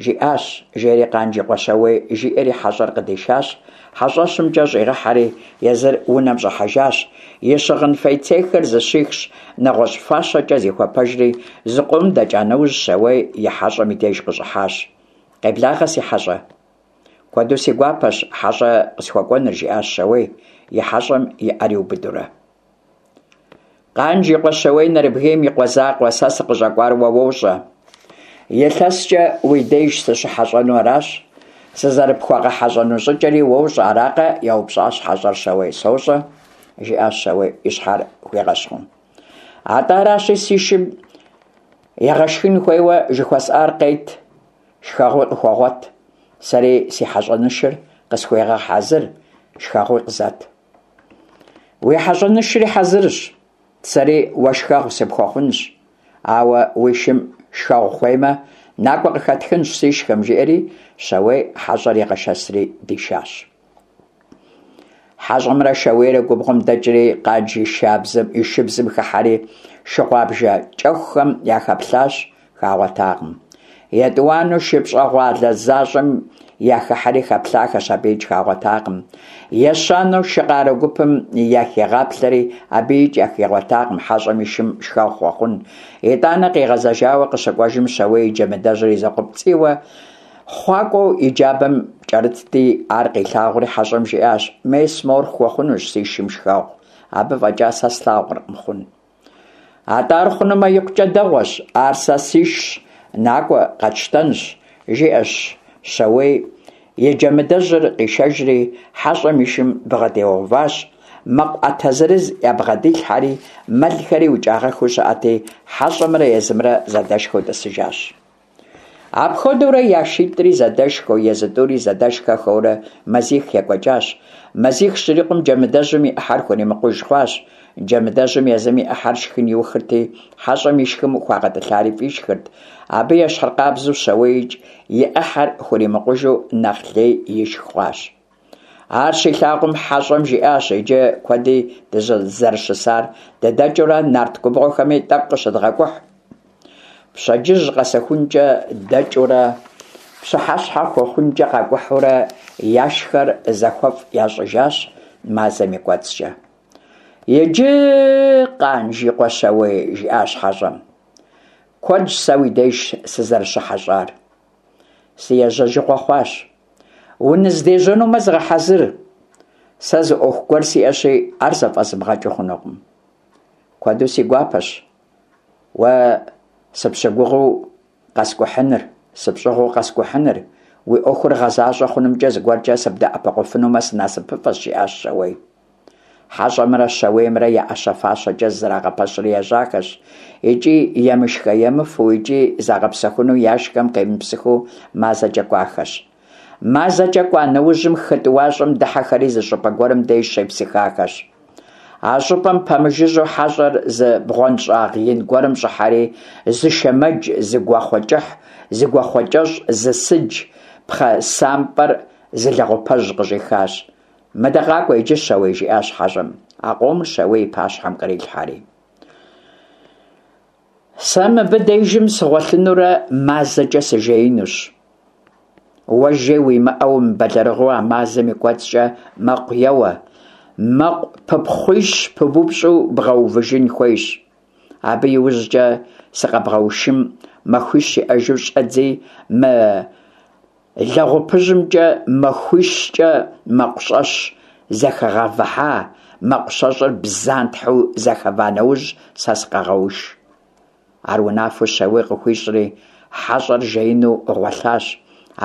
жиӏащ, жери Къанж и къуэ Щауей жиӏэри хьэщӏэр къыдишащ, хьэщӏэщымкӏэ щӏигъэхьэри езыр унэм щӏыхьэжащ. И щыгъын фейцейхэр зыщихщ, нэгъуэщӏ фащэкӏэ зихуэпэжри, зыкъом дэкӏа нэужь Щауей и хьэщӏэм и деж къыщӏыхьащ. Къеблагъэ, си хьэщӏэ. Куэду си гуапэщ хьэщӏэ къысхуэкӏуэныр, жиӏащ Щауей, и хьэщӏэм и ӏэр иубыдурэ. Къанж и къуэ Щауей Нэрыбгейм и къуэ закъуэ, сэ сыкъыщӏэкӏуар уэ уощӏэ. Илъэскӏэ уи деж сыщыхьэщӏэну аращ. Сызэрыпхуэгъэхьэщӏэну щӏыкӏэри уощӏэ, аракъэ? Еупщӏащ хьэщӏэр Щауей. Сощӏэ, жиӏащ Щауей, и щхьэр хуигъэщхъыу. Атӏэ аращи, си шым егъэшхын хуейуэ жыхуэсӏар къет, шхэгъуи къыхуэгъуэт. Сэри си хьэщӏэнышыр къысхуегъэхьэзыр, шхэгъуи къызэт. Уи хьэщӏэнышри хьэзырщ, сэри уэ шхэгъу сыпхуэхъунщ. Ауэ уи шым шхэгъу хуеймэ, накӏуэ къыхэтхынщ сишхэм, жиӏэри Щауей хьэщӏэр игъэшэсри дишащ. Хьэщӏэмрэ Щауейрэ губгъуэм дэкӏри Къанж и шабзэм и шыбзым хыхьэри шыгъуабжэ кӏэхухэм яхэплъащ, хагъуэтакъым. Етӏуанэу шы пщӏэгъуалэ защӏэм яхыхьэри хэплъахэщ, абыикӏ хагъуэтакъым. Ещанэу шы къарэ гупым яхигъаплъэри абыикӏ яхигъуэтакъым хьэщӏэм и шым шхэгъу хуэхъун. Итӏанэ къигъэзэжауэ къыщыкӏуэжым Щауей и джэмыдэжьыр и закъуэпцӏийуэ хъуакӏуэу и джабэм кӏэрытти, ар къилъагъури хьэщӏэм жиӏащ: Мес мор хуэхъунущ си шым шхэгъу, абы фӏэкӏа сэ слъагъуркъым хъун. Атӏэ ар хъунумэ икъукӏэ дэгъуэщ, ар сэ сишщ, накӏуэ къэтщтэнщ, жиӏэщ Щауей, и джэмыдэжьыр къишэжри хьэщӏэм и шым бгъэдигъэуващ, мэкъу ӏэтэ зырыз ябгъэдилъхьэри, мэлхэри укӏагъэхыу щыӏэти, хьэщӏэмрэ езымрэ зэдэшхэу тӏысыжащ. Апхуэдэурэ я шитӏри зэдэшхэу, езы тӏури зэдэшхэхэурэ мазих екӏуэкӏащ. Мазих щрикъум джэмыдэжьым и ӏыхьэр хуримыкъуж хъуащ. Джэмыдэжьым езым и ӏыхьэр шхын иухырти, хьэщӏэм и шхым хуагъэтӏылъари фӏишхырт. Абы ещхьыркъабзэу Щауейикӏ и ӏыхьэр хуримыкъужу нэхъ лей ишх хъуащ. Ар щилъагъум хьэщӏэм жиӏащ: Иджы куэди дызэрыщысар, дыдэкӏыурэ нарт губгъуэхэми тӏэкӏу къыщыдгъэкӏухь. Пщэдджыжь къэсыхункӏэ дэкӏыурэ, пщыхьэщхьэ хуэхъункӏэ къакӏухьурэ яшхэр зэхуэфӏ ящӏыжащ мазэм и кӏуэцӏкӏэ. Иджы, Къанж и къуэ Щауей, жиӏащ хьэщӏэм, куэдщ сэ уи деж сызэрыщыхьэщӏар. Си ежьэжыгъуэ хъуащ. Уныздежьэнумэ зыгъэхьэзыр. Сэ зы ӏуэху гуэр сиӏэщи, ар зэфӏэзмыгъэкӏыу хъунукъым. Куэду си гуапэщ уэ сыпщыгугъыу къэскӏухьыныр, сыпщӏыгъуу къэскӏухьыныр, уи ӏуэхур гъэзащӏэ хъунымкӏэ зыгуэркӏэ сыбдэӏэпыкъуфынумэ сынасыпыфӏэщ, жиӏащ Щауей. Хьэщӏэмрэ Щауеймрэ я ӏэщэ-фащэкӏэ зызэрагъэпэщри ежьахэщ, икӏи емышхэ-емыфэу, икӏи загъэпсэхуну яшхэм къемыпсыхыу мазэкӏэ кӏуахэщ. Мазэкӏэ кӏуа нэужьым хы тӏуащӏэм дыхьэхэри зы щӏыпӏэ гуэрым деж щепсыхахэщ. А щӏыпӏэм пэмыжыжьэу хьэщӏэр зы бгъуэнщӏагъ ин гуэрым щӏыхьэри, зы шэмэдж, зы гуахъуэ кӏыхь, зы гуахъуэ кӏэщӏ, зы сыдж, пхъэ сампӏэр, зы лэгъупэжь къыщӏихащ. Мыдэ къакӏуэ иджы, Щауей, жиӏащ хьэщӏэм, а къомыр Щауей и пащхьэм кърилъхьэри. Сэ мыбы дежым сыгъуэлъынурэ мазэкӏэ сыжеинущ. Уэ жей уимыӏэу умыбэлэрыгъыу а мазэм и кӏуэцӏкӏэ мэкъу еуэ, мэкъу пыпхъуищ пыбупщӏу бгъэувыжын хуейщ. Абы иужькӏэ сыкъэбгъэушым махуищ иӏэжу щӏэдзи мы лэгъупыжьымкӏэ махуищкӏэ мэкъу щэщӏ зэхэгъэвыхьа, мэкъу щэщӏыр бзантхьэу зэхэва нэужь сэ сыкъэгъэуш. Ар унафэу Щауей къыхуищӏри, хьэщӏэр жеину гъуэлъащ.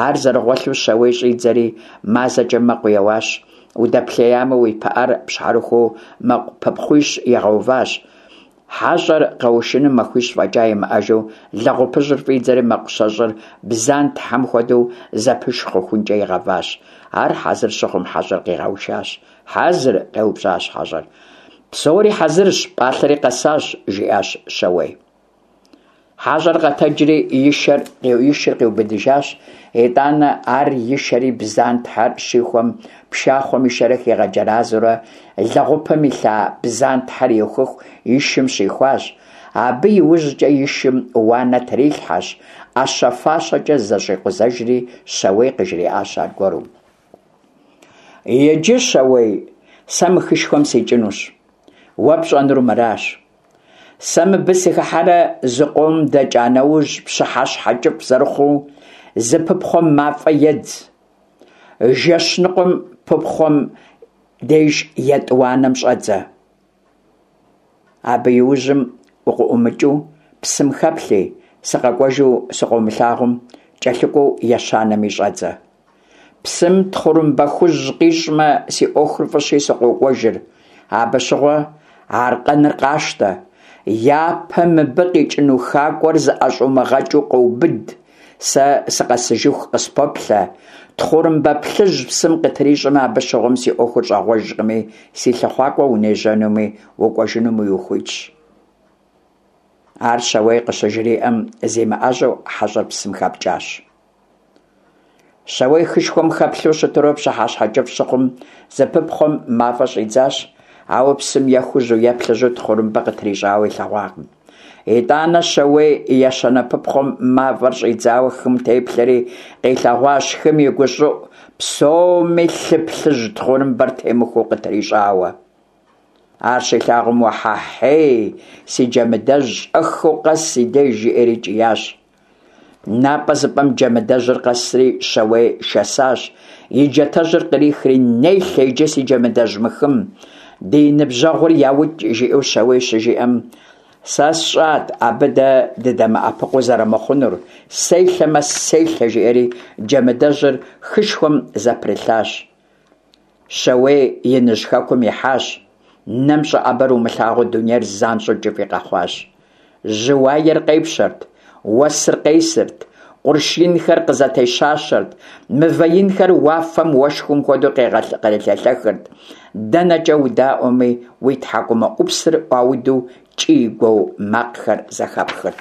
Ар зэрыгъуэлъу Щауей щӏидзэри мазэкӏэ мэкъу еуащ. Удэплъеямэ, уи пыӏэр пщхьэрыхуу мэкъу пыпхъуищ игъэуващ. Хьэщӏэр къэушыным махуищ фӏэкӏа имыӏэжу лэгъупыжьыр фӏидзэри мэкъу щэщӏыр бзантхьэм хуэдэу зэпыш хъухункӏэ игъэващ. Ар хьэзыр щыхъум хьэщӏэр къигъэушащ. Хьэзыр? Къеупщӏащ хьэщӏэр. Псори хьэзырщ, пӏалъэри къэсащ, жиӏащ Щауей. Хьэщӏэр къэтэджри и шэр и шыр къиубыдыжащ. Итӏанэ ар и шэри бдзантхьэр щихуэм пшахъуэм ишэрэ хигъэджэразэурэ лэгъупым илъа бдзантхьэр иухыху и шым щихуащ. Абы иужькӏэ и шым уанэ трилъхьэщ, ӏэщэ-фащэкӏэ зэщӏикъузэжри, Щауей къыжриӏащ аргуэру: Иджы, Щауей, сэ мы хышхуэм сикӏынущ. Уэ пщӏэнур мыращ. Сэ мыбы сыхыхьэрэ зыкъом дэкӏа нэужь, пщыхьэщхьэ кӏыфӏ зэрыхъуу, зы пыпхъуэм мафӏэ едз. Жэщ ныкъуэм пыпхъуэм деж етӏуанэм щӏэдзэ. Абы иужьым укъыӏумыкӏыу псым хэплъи, сыкъэкӏуэжу сыкъыумылъагъум, кӏэлъыкӏуэу ещанэми щӏэдзэ. Псым тхъурымбэ хужь къищӏмэ, си ӏуэхур фӏыщи сыкъокӏуэжыр. Абы щыгъуэ аркъэныр къащтэ. Япэ мыбы къикӏыну хакӏуэр зыӏэщӏумыгъэкӏыу къэубыд. Сэ сыкъэсыжыху къыспэплъэ. Тхъурымбэ плъыжь псым къытрищӏэмэ, абы щыгъуэм си ӏуэхур щӏагъуэжкъыми, си лъыхъуакӏуэ унежьэнуми укӏуэжынуми ухуитщ. Ар Щауей къыщыжриӏэм, зимыӏэжьэу хьэщӏэр псым хэпкӏащ. Щауей хышхуэм хэплъэу щытурэ пщыхьэщхьэ кӏыфӏ щыхъум, зы пыпхъуэм мафӏэ щӏидзащ, ауэ псым е хужьу е плъыжьу тхъурымбэ къытрищӏауэ илъэгъуакъым. Итӏанэ Щауей ещанэ пыпхъуэм мафӏэр щӏидзауэ хым теплъэри, къилъэгъуащ хым и гущӏыӏу псоми лъы плъыжь тхъурымбэр темыхуэу къытрищӏауэ. Ар щилъагъум, уэхьэхьей, си Джэмыдэжь, щӏэхыу къэс си деж, жиӏэри кӏиящ. Напӏэ зыпӏэм Джэмыдэжьыр къэсри Щауей шэсащ, и джатэжьыр кърихри, «Нелъэ иджы си Джэмыдэжь мы хым, ди ныбжьэгъур яукӏ», жиӏэу Щауей щыжиӏэм, сэ сщӏат абы дэ дыдэмыӏэпыкъуу зэрымыхъунур, селъэмэ селъэ, жиӏэри Джэмыдэжьыр хышхуэм зэпрылъащ. Щауей иныжь хэкум ихьащ. Нэм щӏэӏэбэр умылъагъуу дунейр занщӏэу кӏыфӏи къэхъуащ. Жьы уаер къепщэрт, уэсыр къесырт, къурш инхэр къызэтещащэрт, мывэ инхэр уафэм уэшхым хуэдэу кърелъэлъэхырт. Дэнэкӏэ удаӏуэми, уи тхьэкӏумэ ӏупсыр ӏуауду кӏий-гуо макъхэр зэхэпхырт.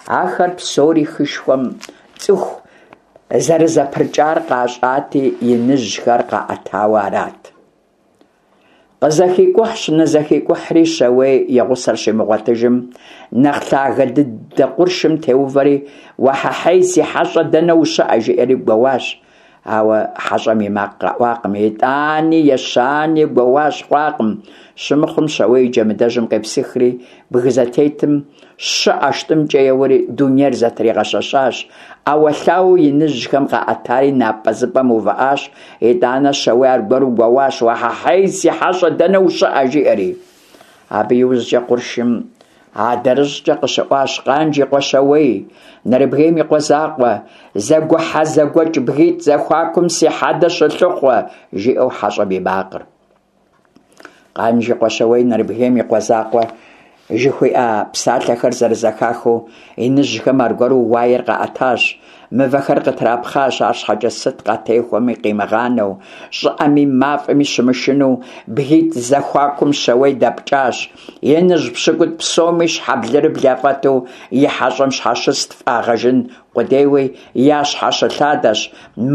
Ахэр псори хышхуэм цӏыху зэрызэпрыкӏар къащӏати, иныжьхэр къаӏэтауэ арат. Къызэхикӏухьщ, нызэхикӏухьри, Щауей и гъусэр щимыгъуэтыжым, нэхъ лъагэ дыдэ къуршым теувэри, «Уэхьэхьей, си хьэщӏэ, дэнэ ущыӏэ?», жиӏэри гуэуащ. Ауэ хьэщӏэм и макъ къэӏуакъым. Итӏани, ещани гуэуащ, хъуакъым. Щымыхъум, Щауей и Джэмыдэжьым къепсыхри, бгы зэтетым щэ ӏэштӏымкӏэ еуэри дунейр зэтригъэщэщащ. Ӏэуэлъауэу иныжьхэм къаӏэтари напӏэзыпӏэм увыӏащ. Итӏанэ Щауей аргуэру гуэуащ: «Уэхьэхьей, си хьэщӏэ, дэнэ ущыӏэ?», жиӏэри. Абы иужькӏэ къуршым адрыщӏкӏэ къыщыӏуащ: «Къанж и къуэ Щауей, Нэрыбгейм и къуэ закъуэ, зэгухьэ-зэгуэкӏ бгитӏ зэхуакум си хьэдэ щылъыхъуэ», жиӏэу хьэщӏэм и макъыр. Къанж и къуэ Щауей, Нэрыбгейм и къуэ закъуэ жыхуиӏа псалъэхэр зэрызэхахыу, иныжьхэм аргуэру уаер къаӏэтащ, мывэхэр къытрапхъащ, арщхьэкӏэ сыт къатехуэми къимыгъанэу, щӏыӏэми мафӏэми щымышынэу бгитӏ зэхуакум Щауей дэпкӏащ. Иныжь пщыкӏутӏ псоми щхьэблырыбл яфӏэту и хьэщӏэм щхьэщыст фӏагъэжын къудейуи, ящхьэщылъадэщ,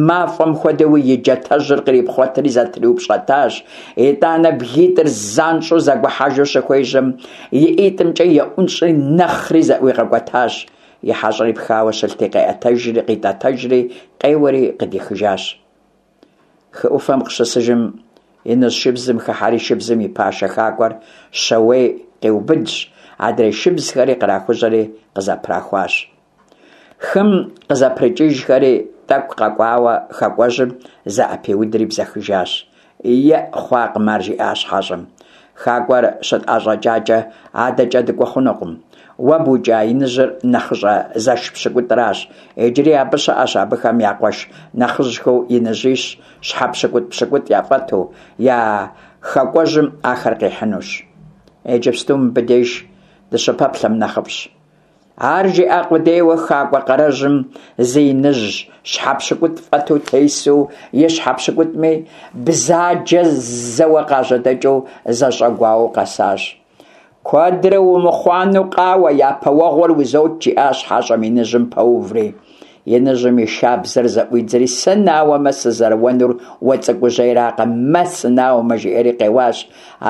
мафӏэм хуэдэуи и джатэжьыр кърипхъуэтри зэтриупщӏэтащ. Итӏанэ бгитӏыр занщӏэу зэгухьэжу щыхуежьэм, и ӏитӏымкӏэ еӏунщӏри нэхъри зэӏуигъэкӏуэтащ. И хьэщӏэри пхауэ щылъти, къеӏэтэжри, къитӏэтэжри, къеуэри къыдихыжащ. Хы ӏуфэм къыщысыжым, иныжь шыбзым хыхьэри шыбзым и пашэ хакӏуэр Щауей къиубыдщ, адрей шыбзхэри кърахужьэри къызэпрахуащ. Хым къызэпрыкӏыжхэри, тӏэкӏу къэкӏуауэ хакӏуэжьым зэӏэпиудри бзэхыжащ. «Еӏ, хъуакъым ар», жиӏащ хьэщӏэм. «Хакӏуэр щытӏэщӏэкӏакӏэ, адэкӏэ дыкӏуэ хъунукъым. Уэ букӏа иныжьыр нэхъыщӏэ зэш пщыкӏутӏращ. Иджыри абы щыӏэщ абыхэм я къуэш нэхъыжьхэу иныжьищ, щхьэ пщыкӏутӏ-пщыкӏутӏ яфӏэту, я хакӏуэжьым ахэр къихьынущ. Иджыпсту мыбы деж дыщыпэплъэм нэхъыфӏщ». Ар жиӏа къудейуэ хакӏуэ къарэжьым зы иныжь щхьэ пщыкӏутӏ фӏэту тесу, и щхьэ пщыкӏутӏми бзаджэ зэуэ къажьэдэкӏыу зэщӏэгуауэу къэсащ. Куэдрэ умыхъуанэу къауэ, япэ уэгъуэр узот, жиӏащ хьэщӏэм иныжьым пэуври. Иныжьым и шабзэр зэӏуидзэри: «Сынауэмэ, сызэуэнур уэ цӏыкӏужьейракъэ, мэ, сынауэмэ!» – жиӏэри къеуащ.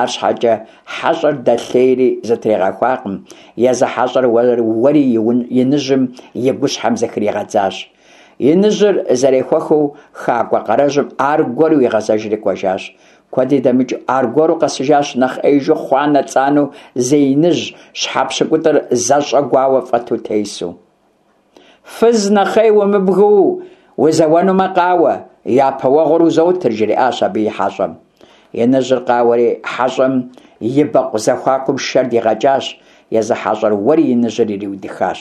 Арщхьэкӏэ хьэщӏэр дэлъейри зытригъэхуакъым, езы хьэщӏэр уэри иныжьым и гущхьэм зыхригъэдзащ. Иныжьыр зэрехуэхыу хакӏуэ къарэжьым аргуэру игъэзэжри кӏуэжащ. Куэди дэмыкӏыу аргуэру къэсыжащ нэхъ ӏеижу хъуанэ-цӏанэу зы иныжь, щхьэ пщыкӏутӏыр зэщӏэгуауэ фӏэту тесу. «Фыз нэхъей умыбгыу, узэуэнумэ, къауэ, япэ уэгъуэр узотыр», – жриӏащ абы и хьэщӏэм. Иныжьыр къауэри хьэщӏэм и бэкъу зэхуакум шэр дигъэкӏащ, езы хьэщӏэр уэри иныжьыр ириудыхащ.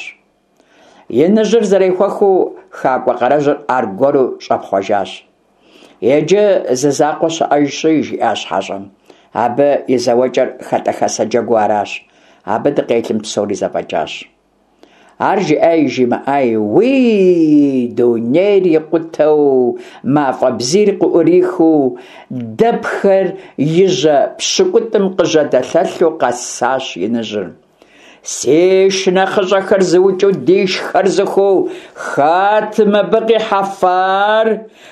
Иныжьыр зэрехуэхыу хакӏуэ къарэжьыр аргуэру щӏэпхъуэжащ. «Иджы зы закъуэ щыӏэжщи», – жиӏащ хьэщӏэм. «Абы и зэуэкӏэр хэтӏэхэсэ джэгуу аращ. Абы дыкъелым псори зэфӏэкӏащ». Ар жиӏаи жимыӏаи, уий, дунейр икъутэу, мафӏэ бзийр къыӏурихыу, дэпхэр и жьэ пщыкӏутӏым къыжьэдэлъэлъу къэсащ иныжьыр. «Си шынэхъыщӏэхэр зыукӏыу дишхэр зыхуу, хэт мыбы къихьэфар?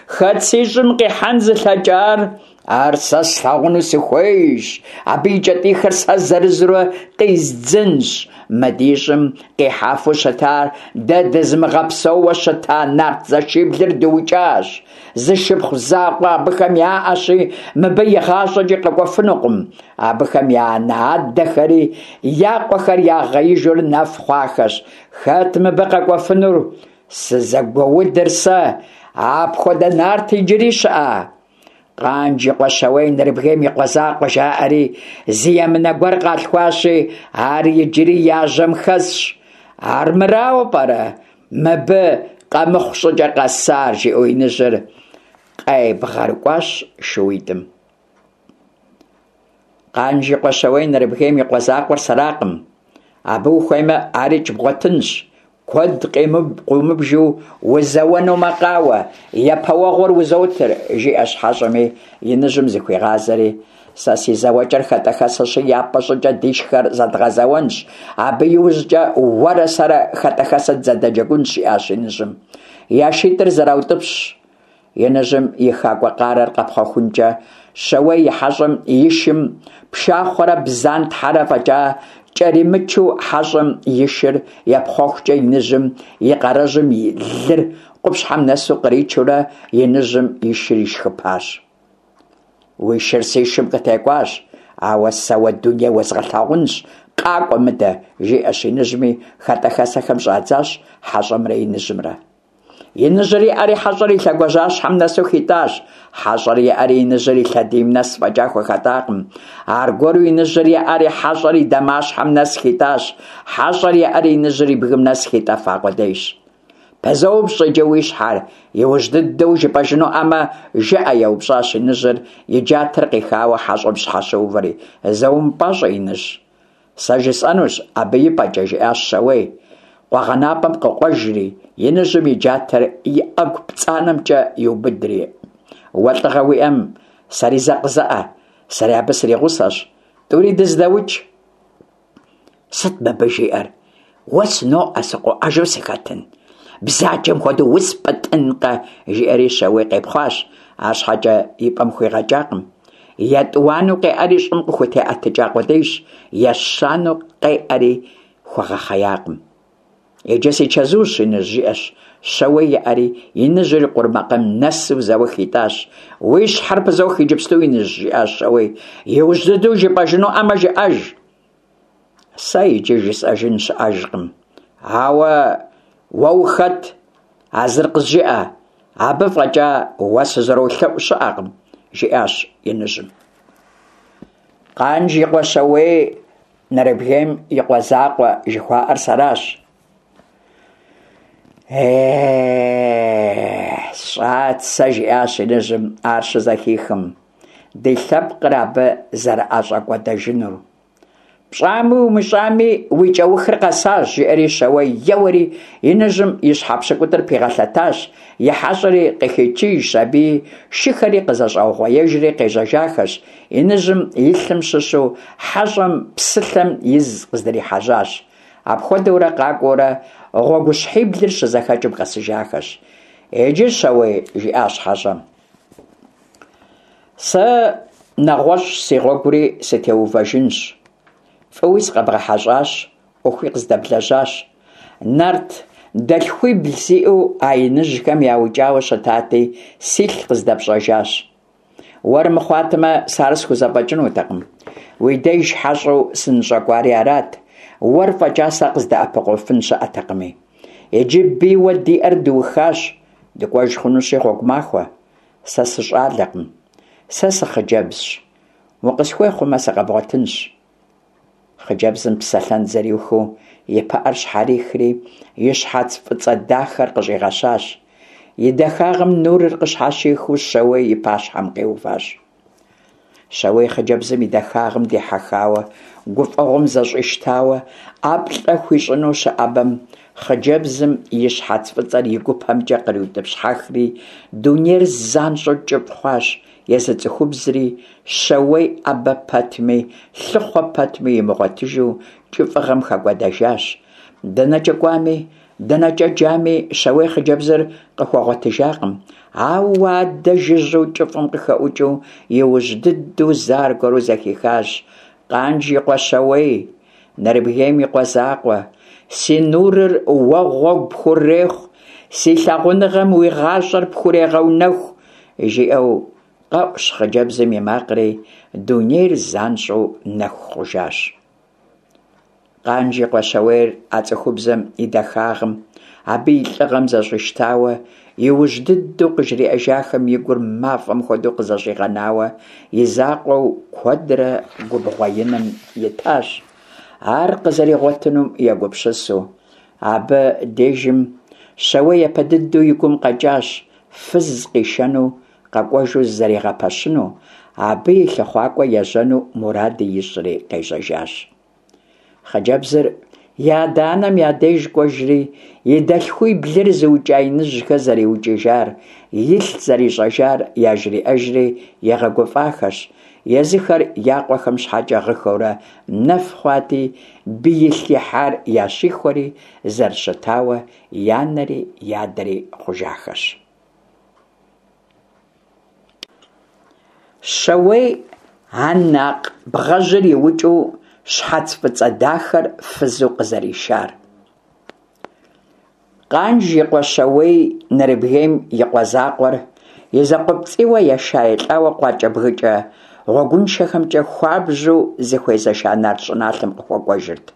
Хэт си щӏым къихьэн зылъэкӏар? Ар сэ слъагъуну сыхуейщ, абы и кӏэтӏийхэр сэ зырызурэ къиздзынщ. Мы ди щӏым къихьэфу щытар дэ дызымыгъэпсэууэ щыта нарт зэшиблыр дыукӏащ. Зы шыпхъу закъуэ абыхэм яӏэщи, мыбы игъащӏэкӏи къэкӏуэфынукъым. Абыхэм я анэ-адэхэри я къуэхэр ягъеижурэ нэф хъуахэщ. Хэт мыбы къэкӏуэфынур? Сызэгуэудыр сэ! Апхуэдэ нарт иджыри щыӏэ? Къанж и къуэ Щауей Нэрыбгейм и къуэ закъуэ жаӏэри зы емынэ гуэр къалъхуащи, ар иджыри я жьэм хэсщ. Армырауэ пӏэрэ мыбы къэмыхъу щӏыкӏэ къэсар?» жиӏэу иныжьыр къебгъэрыкӏуащ шууитӏым. «Къанж и къуэ Щауей Нэрыбгейм и къуэ закъуэр сэракъым. Абы ухуеймэ, арикӏ бгъуэтынщ. Куэд къыумыбжу узэуэнумэ, къауэ, япэ уэгъуэр узотыр», – жиӏэщ хьэщӏэми, иныжьым зыхуигъазэри: «Сэ си зэуэкӏэр хэтӏэхэсэщи, япэ щӏыкӏэ дишхэр зэдгъэзэуэнщ, абы иужькӏэ уэрэ сэрэ хэтӏэхэсэ дызэдэджэгунщ», – жиӏащ иныжьым. Я шитӏыр зэраутӏыпщщ, иныжьым и хакӏуэ къарэр къэпхъуэхункӏэ Щауей и хьэщӏэм и шым пшахъуэрэ бзантхьэрэ фӏэкӏа кӏэримычу хьэщӏэм и шыр епхъуэхукӏэ иныжьым и къарэжьым и лыр къупщхьэм нэсу къричурэ иныжьым и шыр ишхыпащ. «Уи шыр си шым къытекӏуащ, ауэ сэ уэ дуней уэзгъэлъагъунщ, къакӏуэ мыдэ», – жиӏэщ иныжьми, хэтӏэхэсэхэм щӏадзащ хьэщӏэмрэ иныжьымрэ. Иныжьыр еӏэри хьэщӏэр и лъэгуажьэщхьэм нэсу хитӏащ. Хьэщӏэр еӏэри иныжьыр и лъэдийм нэс фӏэкӏа хуэхэтӏакъым. Аргуэру иныжьыр еӏэри хьэщӏэр и дамащхьэм нэс хитӏащ. Хьэщӏэр еӏэри иныжьыр и бгым нэс хитӏэфа къудейщ. «Пызоупщӏ иджы уи щхьэр, иужь дыдэу жыпӏэжынуӏэмэ, жыӏэ», – еупщӏащ иныжьыр, и джатэр къихауэ хьэщӏэм щхьэщыувэри. «Зэ умыпӏащӏэ, иныжь, сэ жысӏэнущ абы и пӏэкӏэ», – жиӏащ Щауей. Къуэгъэнапӏэм къыкъуэжри, иныжьым и джатэр и ӏэгу пцӏанэмкӏэ иубыдри: «Уэ лӏыгъэ уиӏэм, сэри зэ къызэӏэ, сэри абы сригъусэщ, тӏури дыздэукӏ». «Сыт мыбы жиӏэр? Уэ сыноӏэ, сыкъоӏэжу сыхэтын? Бзаджэм хуэдэу успӏытӏынкъэ!» – жиӏэри Щауей къепхъуащ, арщхьэкӏэ и пӏэм хуигъэкӏакъым. Етӏуанэу къеӏэри щӏым къыхутеӏэтыкӏа къудейщ, ещанэу къеӏэри хуэгъэхъеякъым. «Иджы си чэзущ, иныжь», – жиӏэщ Щауей еӏэри, иныжьыр и къурмакъейм нэсу зэуэ хитӏащ. «Уи щхьэр пызох иджыпсту, иныжь», – жиӏащ Щауей. «Иужь дыдэу жыпӏэжынуӏэмэ, жыӏэж». «Сэ иджы жысӏэжын щыӏэжкъым, ауэ уэ ухэт, а зыр къызжыӏэ, абы фӏэкӏа уэ сызэролъэӏу щыӏэкъым», – жиӏащ иныжьым. «Къанж и къуэ Щауей Нэрыбгейм и къуэ закъуэ жыхуаӏэр сэращ». «Э-э, сщӏат сэ, – жиӏащ иныжьым ар щызэхихым, – ди лъэпкъыр абы зэрыӏэщӏэкӏуэдэжынур. Пщӏами умыщӏами уи кӏэухыр къэсащ, жиӏэри Щауей еуэри иныжьым и щхьэ пщыкӏутӏыр пигъэлъэтащ, и хьэщӏэри къыхичыжщ аби, шыхэри къызэщӏаугъуеежри къежьэжахэщ. Иныжьым и лъым щыщу хьэщӏэм псылъэм из къыздрихьэжьащ. Апхуэдэурэ къакӏуэурэ гъуэгущхьиблыр щызэхэкӏым къэсыжахэщ. Иджы, Щауей, жиӏащ хьэщӏэм, сэ нэгъуэщӏщ си гъуэгури сытеувэжынщ. Фӏыуи сыкъэбгъэхьэщӏащ, ӏуэхуи къыздэблэжьащ. Нарт дэлъхуибл сиӏэу а иныжьхэм яукӏауэ щытати, силъ къыздэпщӏэжащ. Уэр мыхъуатэмэ, сэ ар схузэфӏэкӏынутэкъым. Уи деж хьэщӏэу сыныщӏэкӏуари арат, уэр фӏэкӏа сэ къыздэӏэпыкъуфын щыӏэтэкъыми. Иджы бийуэ диӏэр дыухащ, дыкӏуэж хъунущи гъуэгу махуэ. Сэ сыщӏалэкъым, сэ сыхъыджэбзщ. Укъысхуей хъумэ, сыкъэбгъуэтынщ. Хъыджэбзым псэлъэн зэриухыу и пыӏэр щхьэрихри, и щхьэц фӏыцӏэ дахэр къыщӏигъэщащ. И дахагъэм нурыр къыщхьэщихыу Щауей и пащхьэм къиуващ. Щауей хъыджэбзым и дахагъым дихьэхауэ, гуфӏэгъуэм зэщӏищтауэ, ӏэплӏэ хуищӏыну щыӏэбэм, хъыджэбзым и щхьэц фӏыцӏэр и гупэмкӏэ къриутӏыпщхьэхри, дунейр занщӏэу кӏыфӏ хъуащ, езы цӏыхубзри Щауей ӏэбэ пэтми, лъыхъуэ пэтми имыгъуэтыжу кӏыфӏыгъэм хэкӏуэдэжащ. Дэнэкӏэ кӏуами, дэнэкӏэ джами, Щауей хъыджэбзыр къыхуэгъуэтыжакъым. Ауэ адэ жыжьэу кӏыфӏым къыхэӏукӏыу иужь дыдэу зэ аргуэру зэхихащ: Къанж и къуэ Щауей, Нэрыбгейм и къуэ закъуэ, си нурыр уэ гъуэгу пхурехъу, си лъагъуныгъэм уи гъащӏэр пхурегъэунэху, жиӏэу къэӏущ хъыджэбзым и макъри, дунейр занщӏэу нэху хъужащ. Къанж и къуэ Щауейр а цӏыхубзым и дахагъым, абы и лӏыгъэм зэщӏищтауэ, иужь дыдэу къыжриӏэжахэм и гур мафӏэм хуэдэу къызэщӏигъэнауэ, и закъуэу куэдрэ губгъуэ иным итащ, ар къызэригъуэтынум егупсысу. Абы дежым Щауей япэ дыдэу и гум къэкӏащ фыз къишэну къэкӏуэжу зызэригъэпэщыну, абы и лъыхъуакӏуэ ежьэну муради ищӏри къежьэжащ. Хъыджэбзыр и адэ-анэм я деж кӏуэжри, и дэлъхуиблыр зыукӏа иныжьхэр зэриукӏыжар, илъ зэрищӏэжар яжриӏэжри игъэгуфӏахэщ. Езыхэр я къуэхэм щхьэкӏэ гъыхэурэ нэф хъуати, биилъ ихьар ящихуэри, зэрыщытауэ и анэри и адэри хъужахэщ. Щауей Ан акъ бгъэжьыр иукӏыу щхьэц фӏыцӏэ дахэр фызу къызэришар. Къанж и къуэ Щауей, Нэрыбгейм и къуэ закъуэр, и закъуэпцӏийуэ еша-елӏауэ къуакӏэбгыкӏэ гъуэгуншэхэмкӏэ хуабжьу зыхуезэша нарт щӏыналъэм къыхуэкӏуэжырт.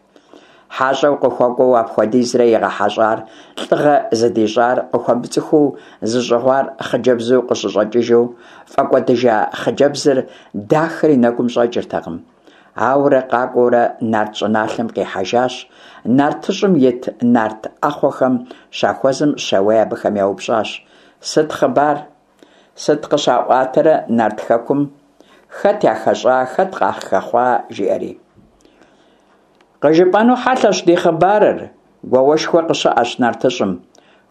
Хьэщӏэу къыхуэкӏуэу апхуэдизрэ игъэхьэщӏар, лӏыгъэ зыдищӏар, къыхуэмыцӏыхуу зыщӏыгъуар хъыджэбзу къыщыщӏэкӏыжу, фӏэкӏуэдыжа хъыджэбзыр дахэр и нэгум щӏэкӏыртэкъым. Ауэрэ къакӏуэурэ нарт щӏыналъэм къихьэжащ. Нартыщӏым ит нарт ӏэхъуэхэм щахуэзэм, Щауей абыхэм яупщӏащ: Сыт хъыбар? Сыт къыщаӏуатэрэ нарт хэкум? Хэт яхэщӏа, хэт къахэхъуа? Жиӏэри. Къыжыпӏэну хьэлъэщ ди хъыбарыр, гуауэшхуэ къыщыӏэщ нартыщӏым.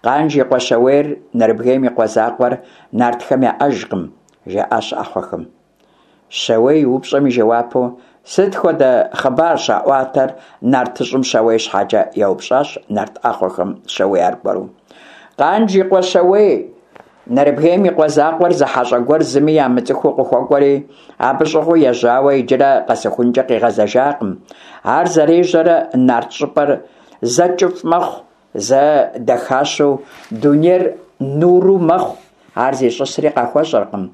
Къанж и къуэ Щауейр, Нэрыбгейм и къуэ закъуэр нартхэм яӏэжкъым, жаӏащ ӏэхъуэхэм. Щауей и упщӏэм и жэуапу: Сыт хуэдэ хъыбар щаӏуатэр нартыщӏым Щауей щхьэкӏэ? Еупщӏащ нарт ӏэхъуэхэм Щауей аргуэру. Къанж и къуэ Щауей, Нэрыбгейм и къуэ закъуэр зы хьэщӏэ гуэр зыми ямыцӏыхуу къыхуэкӏуэри, абы щӏыгъуу ежьауэ иджырэ къэсыхункӏэ къигъэзэжакъым. Ар зэрежьэрэ нарт щӏыпӏэр зэ кӏыфӏ мэхъу, зэ дахащэу дунейр нуру мэхъу, ар зищӏысри къахуэщӏэркъым.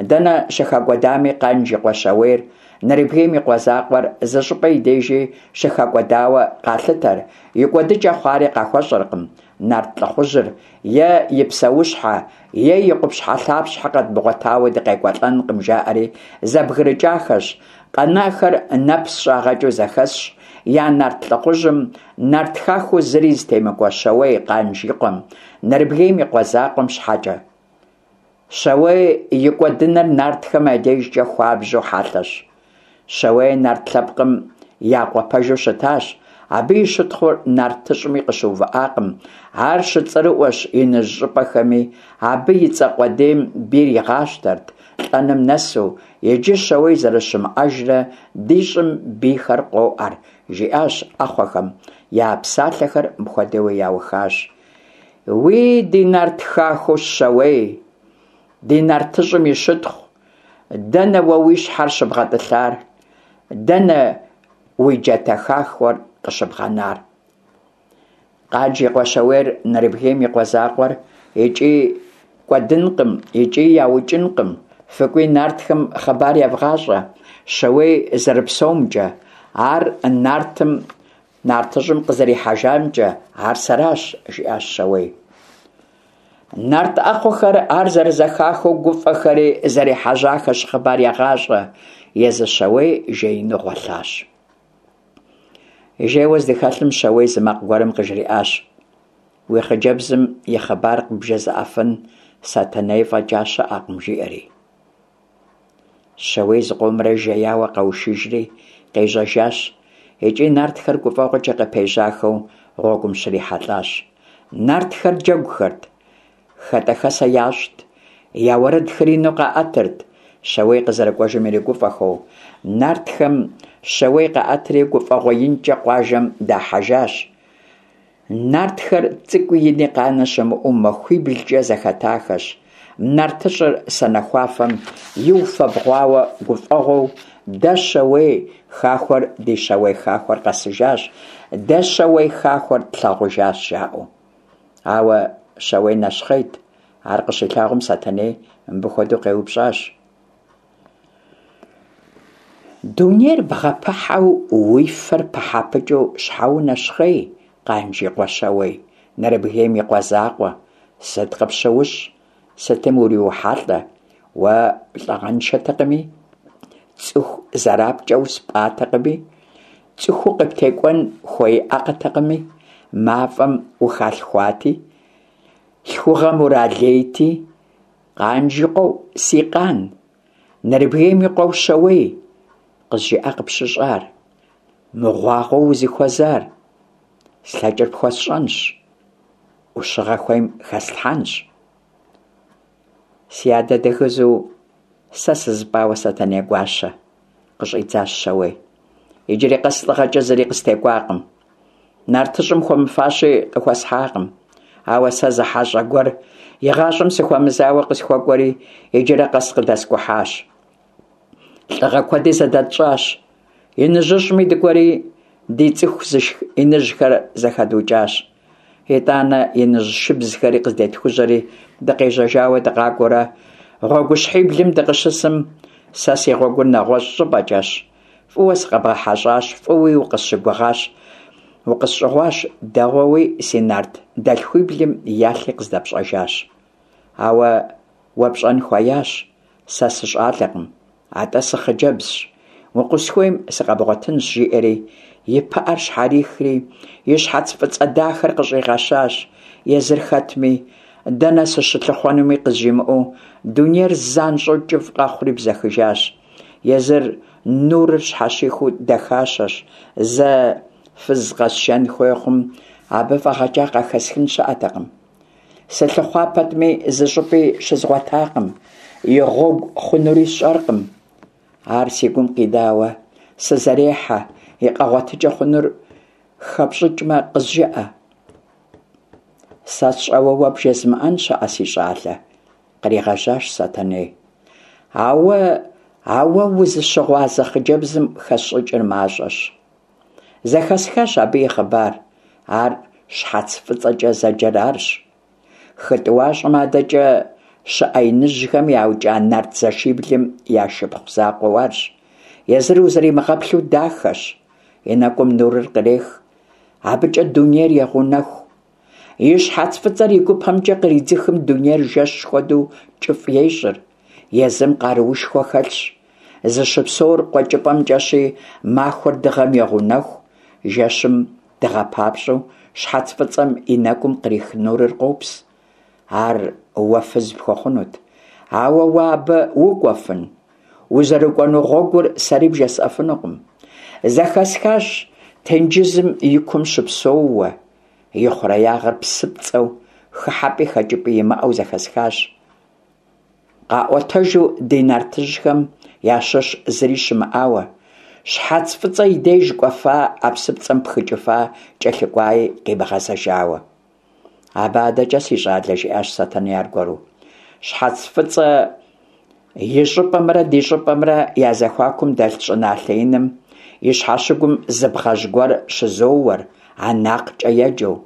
Дэнэ щыхэкӏуэдами Къанж и къуэ Щауейр, Нэрыбгейм и къуэ закъуэр зы щӏыпӏэ и дежи щыхэкӏуэдауэ къалъытэр, и кӏуэдыкӏэ хъуари къахуэщӏэркъым. Нарт лӏыхъужьыр е и псэущхьэ, е и къупщхьэлъапщхьэ къэдмыгъуэтауэ дыкъекӏуэлӏэнкъым, жаӏэри зэбгрыкӏахэщ. Къэнахэр нэпс щӏагъэкӏыу зэхэсщ я нарт лӏыхъужьым, нарт хахуэу зыри зытемыкӏуэ Щауей Къанж и къуэм, Нэрыбгейм и къуэ закъуэм щхьэкӏэ. Щауей и кӏуэдыныр нартхэм я дежкӏэ хуабжьу хьэлъэщ. Щауей нарт лъэпкъым я къуэ пэжу щытащ. Абы и щытхъур нартыщӏми къыщыувыӏакъым, ар щыцӏэрыӏуэщ иныжь щӏыпӏэхэми, абы и цӏэ къудейм бийр игъащтэрт, лӏэным нэсу. Иджы Щауей зэрыщымыӏэжрэ ди щӏым бийхэр къоӏэр, жиӏащ ӏэхъуэхэм. Я псалъэхэр мыпхуэдэуи яухащ. Уи ди нарт хахуэу Щауей, ди нартыщӏым и щытхъу, дэнэ уэ уи щхьэр щыбгъэтӏылъар? Дэнэ уи джатэ хахуэр къыщыбгъэнар? Къанж и къуэ Щауейр Нэрыбгейм и къуэ закъуэр икӏи кӏуэдынкъым, икӏи яукӏынкъым. Фыкӏуи нартхэм хъыбар евгъащӏэ Щауей зэрыпсэумкӏэ, ар нартым нартыщӏым къызэрихьэжамкӏэ, ар сэращ, жиӏащ Щауей. Нарт ӏэхъуэхэр ар зэрызэхахыу гуфӏэхэри зэрехьэжьахэщ хъыбар егъащӏэ. Езы Щауей жеину гъуэлъащ. Жейуэ здыхэлъым Щауей зы макъ гуэрым къыжриӏащ: Уи хъыджэбзым и хъыбар къыбжезыӏэфын Сэтэней фӏэкӏа щыӏэкъым, жиӏэри. Щауей зыкъомрэ жеяуэ къэушыжри къежьэжащ, икӏи нартхэр гуфӏэгъуэкӏэ къыпежьахэу гъуэгум щрихьэлӏащ. Нартхэр джэгухэрт, хэтӏэхэсэ ящӏт, я уэрэдхэр ину къаӏэтырт, Щауей къызэрыкӏуэжым иригуфӏэхэу. Нартхэм Щауей къаӏэтри гуфӏэгъуэ инкӏэ къуажэм дахьэжащ. Нартхэр цӏыкӏуи ини къанэ щымыӏэу махуиблкӏэ зэхэтахэщ. Нартыщӏыр санэхуафэм иуфэбгъуауэ гуфӏэгъуэу дэ Щауей хахуэр ди Щауей хахуэр къэсыжащ, дэ Щауей хахуэр тлъагъужащ, жаӏэу. Ауэ Щауей нэщхъейт. Ар къыщилъагъум Сэтэней мыбы хуэдэу къеупщӏащ: Дунейр бгъэпыхьэу, уи фэр пыхьэпыкӏыу щхьэ унэщхъей, Къанж и къуэ Щауей, Нэрыбгейм и къуэ закъуэ? Сыт къыпщыущӏ? Сытым уриухьэлӏэ? Уэ лӏыгъэншэтэкъыми, цӏыху зэрапкӏэу спӏатэкъыми, цӏыхуу къыптекӏуэн хуеиӏэкъытэкъыми, мафӏэм ухалъхуати, лъхугъэм уралейти, Къанж и къуэу си къан, Нэрыбгейм и къуэу Щауей, къызжыӏэ къыпщыщӏар, мыгъуагъэу узыхуэзар. Слъэкӏыр пхуэсщӏэнщ, ӏущыгъэ хуейм хэслъхьэнщ. Си адэ дэгызу сэ сызыпӏауэ Сэтэней гуащэ, къыщӏидзащ Щауей. Иджыри къэс лӏыгъэкӏэ зыри къыстекӏуакъым. Нартыщӏым хуэмыфащи къыхуэсхьакъым. Ауэ сэ зы хьэщӏэ гуэр игъащӏэм сыхуэмызауэ къысхуэкӏуэри иджырэ къэс къыдэскӏухьащ. Лӏыгъэ куэди зэдэтщӏащ. Иныжьыщӏми дыкӏуэри ди цӏыху зышх иныжьхэр зэхэдукӏащ. Итӏанэ иныжь шыбзхэри къыздетхужьэри дыкъежьэжауэ дыкъакӏуэурэ гъуэгущхьиблым дыкъыщысым, сэ си гъуэгур нэгъуэщӏ щӏыпӏэкӏэщ. Фӏыуэ сыкъэбгъэхьэщӏащ, фӏыуи укъысщыгугъащ, укъысщӏыгъуащ, дэгъуэуи си нарт дэлъхуиблым ялъи къыздэпщӏэжащ. Ауэ уэ пщӏэн хуеящ, сэ сыщӏалэкъым, атӏэ сыхъыджэбзщ. Укъысхуейм сыкъэбгъуэтынщ, жиӏэри и пыӏэр щхьэрихри и щхьэц фӏыцӏэ дахэр къыщӏигъэщащ. Езыр хэтми, дэнэ сыщылъыхъуэнуми къызжимыӏэу дунейр занщӏэу кӏыфӏ къэхъури бзэхыжащ. Езыр нурыр щхьэщихыу дахащэщ. Зэ фыз къэсшэн хуей хъум, абы фӏэгъэкӏа къахэсхын щыӏэтэкъым. Сылъыхъуа пэтми, зы щӏыпӏи щызгъуэтакъым, и гъуэгу хъунури сщӏэркъым. Ар си гум къинауэ сызэрехьэ, и къэгъуэтыкӏэ хъунур хэпщӏыкӏмэ, къызжыӏэ. Сэ сщӏэуэ уэ бжезмыӏэн щыӏэ, си щӏалэ, къригъэжьащ Сэтэней. Ауэ а уэ узыщыгъуазэ хъыджэбзым хэсщӏыкӏыр мащӏэщ. Зэхэсхащ абы и хъыбар. Ар щхьэц фӏыцӏэкӏэ зэджэр арщ. Хы тӏуащӏэм адэкӏэ щыӏэ иныжьхэм яукӏа нарт зэшиблым я шыпхъу закъуэу арщ. Езыр узэримыгъэплъу дахэщ, и нэкӏум нурыр кърех, абыкӏэ дунейр егъэунэху. И щхьэц фӏыцӏэр и гупэмкӏэ къридзыхым дунейр жэщ хуэдэу кӏыфӏ ещӏыр. Езым къаруушхуэ хэлъщ. Зыщыпсэур къуэкӏыпӏэмкӏэщи, махуэр дыгъэм егъэунэху, жэщым дыгъэ папщӏэу щхьэц фӏыцӏэм и нэкӏум кърих нурыр къопс. Ар уэ фыз пхуэхъунут. Ауэ уэ абы укӏуэфын? Узэрыкӏуэну гъуэгур сэри бжесӏэфынукъым. Зэхэсхащ тенджызым и кум щыпсэууэ, и хъуреягъыр псыпцӏэу, хыхьэпӏи хэкӏыпӏи имыӏэу зэхэсхащ. Къаӏуэтэжу ди нартыжьхэм ящыщ зыри щымыӏауэ, Щхьэц Фӏыцӏэ и деж кӏуэфа, а псыпцӏэм пхыкӏыфа, кӏэлъыкӏуаи къимыгъэзэжауэ. Абы адэкӏэ, си щӏалэ, жиӏащ Сэтэней аргуэру, Щхьэц Фӏыцӏэ и щӏыпӏэмрэ ди щӏыпӏэмрэ я зэхуакум дэлъ щӏыналъэ иным и щхьэщыгум зы бгъэжь гуэр щызоуэр, Анакъкӏэ еджэу.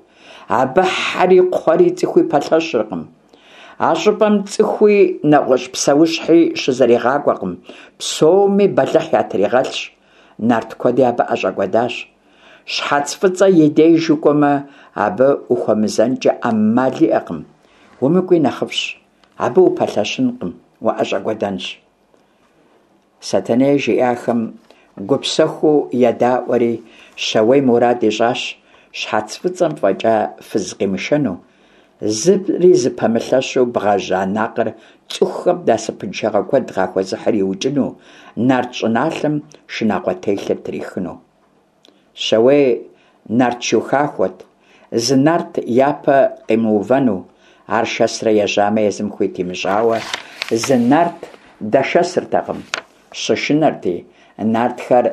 Абы хьэри, кхъуэри, цӏыхуи пэлъэщыркъым. А щӏыпӏэм цӏыхуи нэгъуэщӏ псэущхьи щызэригъакӏуэкъым, псоми бэлыхь ятригъэлъщ. Нарт куэди абы ӏэщӏэкӏуэдащ. Щхьэц Фӏыцӏэ и деж укӏуэмэ, абы ухуэмызэнкӏэ ӏэмал иӏэкъым. Умыкӏуи нэхъыфӏщ, абы упэлъэщынкъым, уӏэщӏэкӏуэдэнщ. Сэтэней жиӏахэм гупсэхуу едаӏуэри, Щауей мурад ищӏащ Щхьэц Фӏыцӏэм фӏэкӏа фыз къимышэну, зыри зыпэмылъэщу бгъэжь Анакъыр цӏыхухэм насыпыншагъэ куэд къахуэзыхьыр иукӏыну, нарт щӏыналъэм шынагъуэ телъыр трихыну. Щауей нарт шу хахуэт, зы нарт япэ къимыувэну, ар шэсрэ ежьамэ езым хуит имыщӏауэ, зы нарт дэшэсыртэкъым, щышынэрти, нартхэр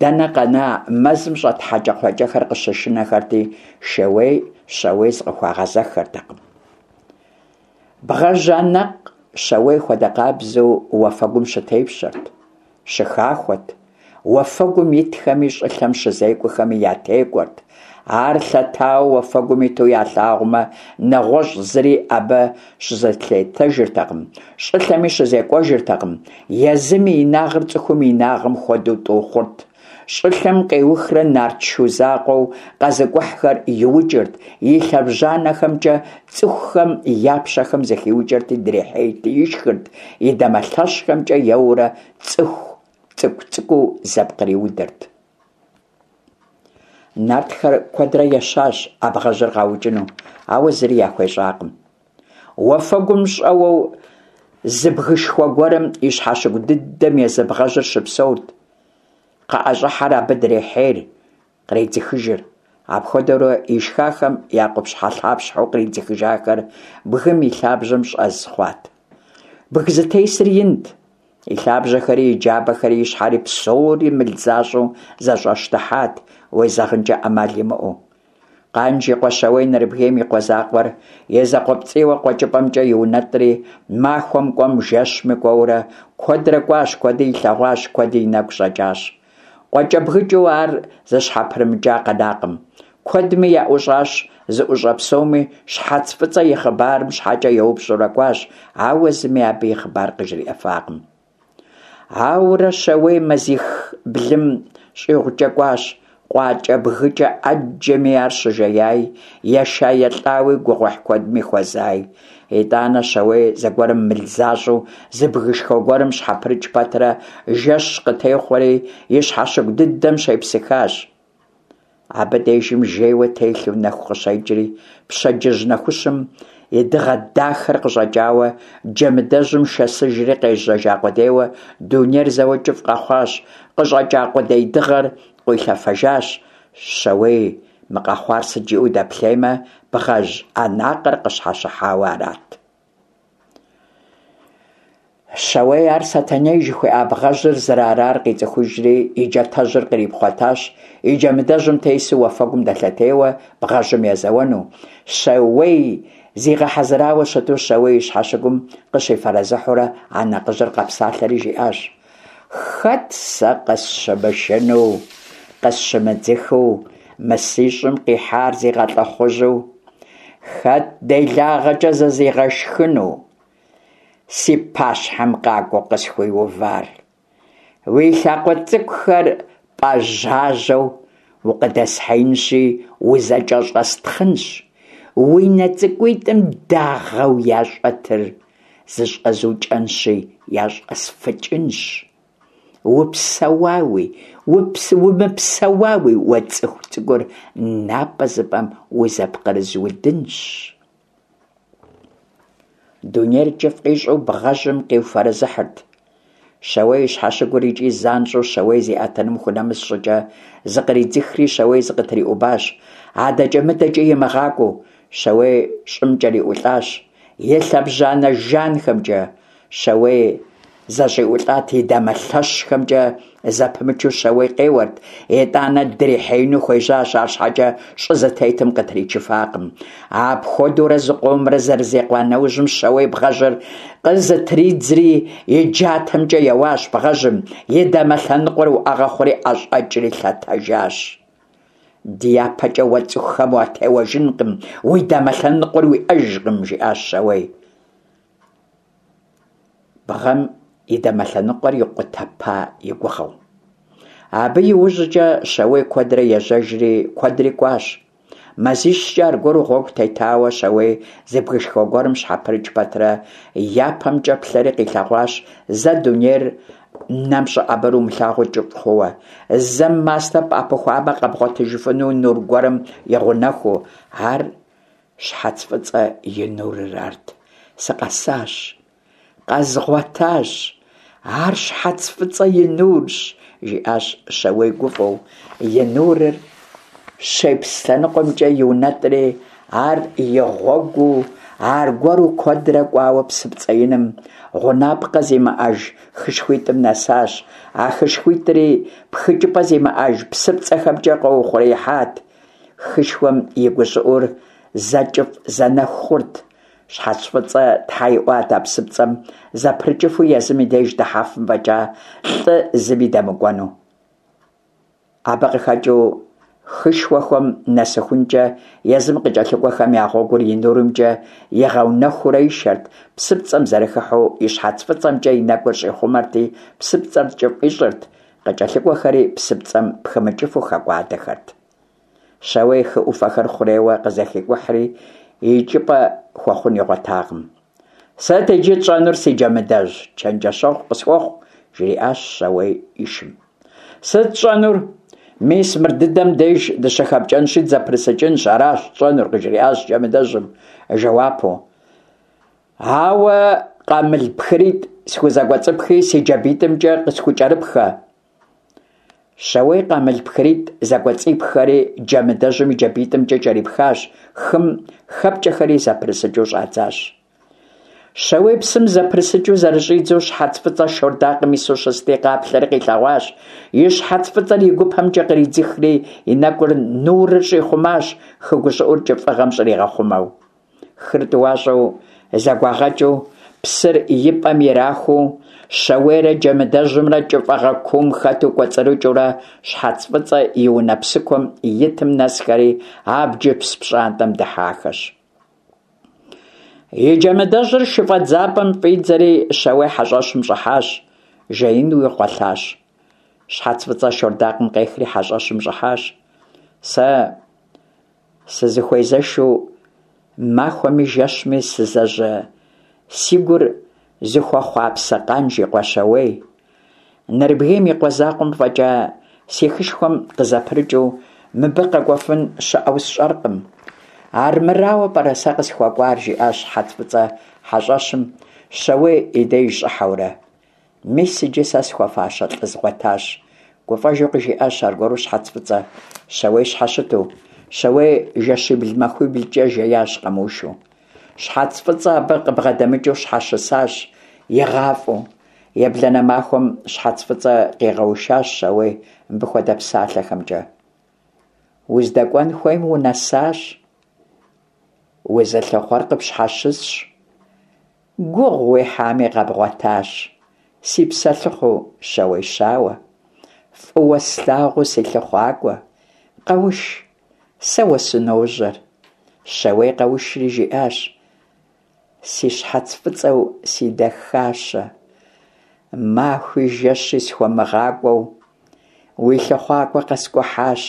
дэнэ къэна, мэзым щӏэт хьэкӏэкхъуэкӏэхэр къыщышынэхэрти, Шууей Щауей зыкъыхуагъэзэххэртэкъым. Бгъэжь Анакъ Щауей хуэдэ къабзэу уафэгум щытепщэрт, щыхахуэт, уафэгум итхэми щӏылъэм щызекӏуэхэми ятекӏуэрт. Ар лъэтауэ уафэгум иту ялъагъумэ, нэгъуэщӏ зыри абы щызэлъетэжыртэкъым, щӏылъэми щызекӏуэжыртэкъым, езым и инагъыр цӏыхум и инагъым хуэдэу тӏу хъурт. Щӏылъэм къеухрэ нарт шу закъуэу къэзыкӏухьхэр иукӏырт, и лъэбжьанэхэмкӏэ цӏыхухэм я пщэхэм зэхиукӏэрти дрихьейрти ишхырт, и дамэ лъэщхэмкӏэ еуэурэ цӏыху цӏыкӏу-цӏыкӏуу зэпкъриудырт. Нартхэр куэдрэ ещащ а бгъэжьыр къаукӏыну, ауэ зыри яхуещӏакъым. Уафэгум щӏэуэу зы бгышхуэ гуэрым и щхьэщыгу дыдэм езы бгъэжьыр щыпсэурт. Къыӏэщӏыхьэр абы дрехьейр, къредзыхыжыр. Апхуэдэурэ ишхахэм я къупщхьэлъапщхьэу къридзыхыжахэр бгым и лъабжьэм щӏэз хъуат. Бгы зытесыр инт, и лъабжьэхэри, и джабэхэри, и щхьэри псори мыл защӏэу зэщӏэщтыхьат, уезэгъынкӏэ ӏэмал имыӏэу. Къанж и къуэ Щауей Нэрыбгейм и къуэ закъуэр и закъуэпцӏийуэ къуэкӏыпӏэмкӏэ иунэтӏри, махуэм кӏуэм, жэщми кӏуэурэ, куэдрэ кӏуащ, куэди илъэгъуащ, куэди и нэгу щӏэкӏащ. Къуакӏэбгыкӏыу ар зыщхьэпрымыкӏа къэнакъым. Куэдми яӏущӏащ, зыӏущӏэ псоми Щхьэц Фӏыцӏэ и хъыбарым щхьэкӏэ еупщӏурэ кӏуащ, ауэ зыми абы и хъыбар къыжриӏэфакъым. Ауэрэ Щауей мазих-блым щӏигъукӏэ кӏуащ, къуакӏэбгыкӏэ ӏэджэми ар щыжеяи, еша-елӏауи, гугъуехь куэдми хуэзаи. Итӏанэ Щауей зэгуэрым мыл защӏэу зы бгышхуэ гуэрым щхьэпрыкӏ пэтрэ жэщ къытехъуэри и щхьэщыгу дыдэм щепсыхащ. Абы дежым жейуэ телъу нэху къыщекӏри, пщэдджыжь нэхущым и дыгъэ дахэр къыщӏэкӏауэ, джэмыдэжьым шэсыжри къежьэжа къудейуэ дунейр зэуэ кӏыфӏ къэхъуащ, къыщӏэкӏа къудей дыгъэр къуилъэфэжащ. Щауей мы къэхъуар сыт жиӏэу дэплъеймэ, бгъэжь Анакъыр къыщхьэщыхьауэ арат. Щауей ар Сэтэней жыхуиӏа бгъэжьыр зэрыарар къицӏыхужри, и джатэжьыр кърипхъуэтащ, и джэмыдэжьым тесу уафэгум дэлъэтейуэ бгъэжьым езэуэну. Щауей зигъэхьэзырауэ щыту Щауей и щхьэщыгум къыщифэрэзыхьурэ Анакъыжьыр къэпсалъэри жиӏащ: «Хэт сэ къысщымышынэу, къысщымыдзыхыу, мы си щӏым къихьар зигъэлӏыхъужьу? Хэт делагъэкӏэ зызигъэшхыну си пащхьэм къакӏуэу къысхуиувар? Уи лъакъуэ цӏыкӏухэр пӏэжьажьэу укъыдэсхьеинщи, узэкӏэщӏэстхъынщ, уи нэ цӏыкӏуитӏым дагъэу ящӏэтыр зыщӏэзукӏэнщи, ящӏэсфыкӏынщ. Упсэуауи, умыпсэуауи уэ цӏыху цӏыкӏур напӏэзыпӏэм узэпкърызудынщ». Дунейр кӏыфӏ къищӏу бгъэжьым къиуфэрэзыхьырт. Щауей и щхьэщыгур икӏи занщӏэу Щауей зиӏэтыным хунэмыс щӏыкӏэ зыкъридзыхри Щауей зыкъытриӏубащ, адэкӏэ-мыдэкӏи имыгъакӏуэу. Щауей щӏым кӏэриӏулӏащ и лъэбжьанэ жанхэмкӏэ. Щауей зэщӏиӏулӏат и дамэ лъэщхэмкӏэ зэпымычу Щауей къеуэрт, итӏанэ дрихьеину хуежьащ, арщхьэкӏэ щӏы зытетым къытричыфакъым. Апхуэдэурэ зыкъомрэ зэрызекъуа нэужьым Щауей бгъэжьыр къызытридзри и джатэмкӏэ еуащ бгъэжьым, и дамэ лъэныкъуэр уӏэгъэ хъури ӏэщӏэкӏри лъэтэжащ. Дяпэкӏэ уэ цӏыхухэм уатеуэжынкъым, уи дамэ лъэныкъуэр уиӏэжкъым, жиӏащ Щауей. Бгъэм и дамэ лъэныкъуэр икъутэпа и гугъэу. Абы иужькӏэ Щауей куэдрэ ежьэжри куэдри кӏуащ. Мазищкӏэ аргуэру гъуэгу тетауэ Щауей зы бгышхуэ гуэрым щхьэпрыкӏ пэтрэ япэмкӏэ плъэри къилъэгъуащ зэ дунейр нэм щӏэӏэбэр умылъагъуу кӏыфӏ хъууэ, зэм мастэ пӏэпыхуамэ къэбгъуэтыжыфыну нур гуэрым игъэунэхуу. Ар Щхьэц Фӏыцӏэ и нурыр арт. Сыкъэсащ, къэзгъуэтащ, ар Щхьэц Фӏыцӏэ и нурщ, жиӏащ Щауей гуфӏэу. И нурыр щепс лъэныкъуэмкӏэ иунэтӏри, ар и гъуэгуу аргуэру куэдрэ кӏуауэ псыпцӏэ иным, гъунапкъэ зимыӏэж хышхуитӏым нэсащ. А хышхуитӏри пхыкӏыпӏэ зимыӏэж псыпцӏэхэмкӏэ къэухъуреихьат. Хышхуэм и гущӏыӏур зэ кӏыфӏ, зэ нэху хъурт. Щхьэц Фӏыцӏэ тхьэ иӏуат а псыпцӏэм зэпрыкӏыфу езым и деж дыхьэфым фӏэкӏа лӏы зыми дэмыкӏуэну. Абы къыхэкӏыу хышхуэхэм нэсыхункӏэ езым къыкӏэлъыкӏуэхэм я гъуэгур и нурымкӏэ игъэунэхуурэ ишэрт, псыпцӏэм зэрыхыхьэу и щхьэц фӏыцӏэмкӏэ и нэкӏур щӏихъумэрти, псыпцӏэр кӏыфӏ ищӏырт, къыкӏэлъыкӏуэхэри псыпцӏэм пхымыкӏыфу хэкӏуадэхэрт. Щауей хы ӏуфэхэр хъурейуэ къызэхикӏухьри, икӏыпӏэ хуэхъун игъуэтакъым. Сыт иджы тщӏэнур, си Джэмыдэжь, чэнджэщэгъу къысхуэхъу, жриӏащ Щауей и шым. Сыт тщӏэнур? Мис мыр дыдэм деж дыщыхэпкӏэнщи дызэпрысыкӏынщ, аращ тщӏэнур, къыжриӏащ Джэмыдэжьым жэуапу. Ауэ къамыл пхыритӏ схузэкӏуэцӏыпхи си джабитӏымкӏэ къысхукӏэрыпхэ. Щауей къамыл пхыритӏ зэкӏуэцӏипхэри Джэмыдэжьым и джабитӏымкӏэ кӏэрипхащ, хым хэпкӏэхэри зэпрысыкӏыу щӏадзащ. Щауей псым зэпрысыкӏыу зэрыщӏидзэу Щхьэц Фӏыцӏэ шордакъым ису щысти, къаплъэри къилъэгъуащ. И щхьэц фӏыцӏэр и гупэмкӏэ къридзыхри, и нэкӏур нурыр щӏихъумащ, хы гущӏыӏур кӏыфӏыгъэм щӏригъэхъумэу. Хыр тӏуащӏэу зэгуагъэкӏыу, псыр и пӏэм ирахуу, Щауейрэ Джэмыдэжьымрэ кӏыфӏыгъэ куум хэту кӏуэцӏрыкӏыурэ Щхьэц Фӏыцӏэ и унэ псыкуэм итым нэсхэри абджыпс пщӏантӏэм дыхьахэщ. И Джэмыдэжьыр шыфӏэдзапӏэм фӏидзэри Щауей хьэщӏэщым щӏыхьащ, жеинуи гъуэлъащ. Щхьэц Фӏыцӏэ шордакъым къехри хьэщӏэщым щӏыхьащ. Сэ сызыхуезэшу махуэми жэщми сызэжьэ си гур зыхуэхъуапсэ Къанж и къуэ Щауей. Нэрыбгейм и къуэ закъуэм фӏэкӏа си хышхуэм къызэпрыкӏыу мыбы къэкӏуэфын щыӏэу сщӏэркъым. Армырауэ пӏэрэ сэ къысхуэкӏуар, жиӏащ Щхьэц Фӏыцӏэ хьэщӏэщым Щауей и деж щӏыхьэурэ. Мис иджы сэ схуэфащэ лӏы згъуэтащ. Гуфӏэжу къыжиӏащ аргуэру Щхьэц Фӏыцӏэ, Щауей щхьэщыту. Щауей жэщибл-махуиблкӏэ жеящ къэмыушу. Щхьэц Фӏыцӏэ абы къыбгъэдэмыкӏыу щхьэщысащ, игъафӏэу. Ебланэ махуэм Щхьэц Фӏыцӏэ къигъэушащ Щауей мыбы хуэдэ псалъэхэмкӏэ. Уздэкӏуэн хуейм унэсащ, узылъыхъуэр къыпщхьэщысщ, гугъу уехьами къэбгъуэтащ, си псэлъыхъуу Щауей щауэ, фӏыуэ слъагъуу си лъыхъуакӏуэ, къэуш, сэ уэ сыножьэр. Щауей къэушри жиӏащ: Си щхьэц фӏыцӏэу си дахащэ, махуи жэщи схуэмыгъакӏуэу уи лъыхъуакӏуэ къэскӏухьащ.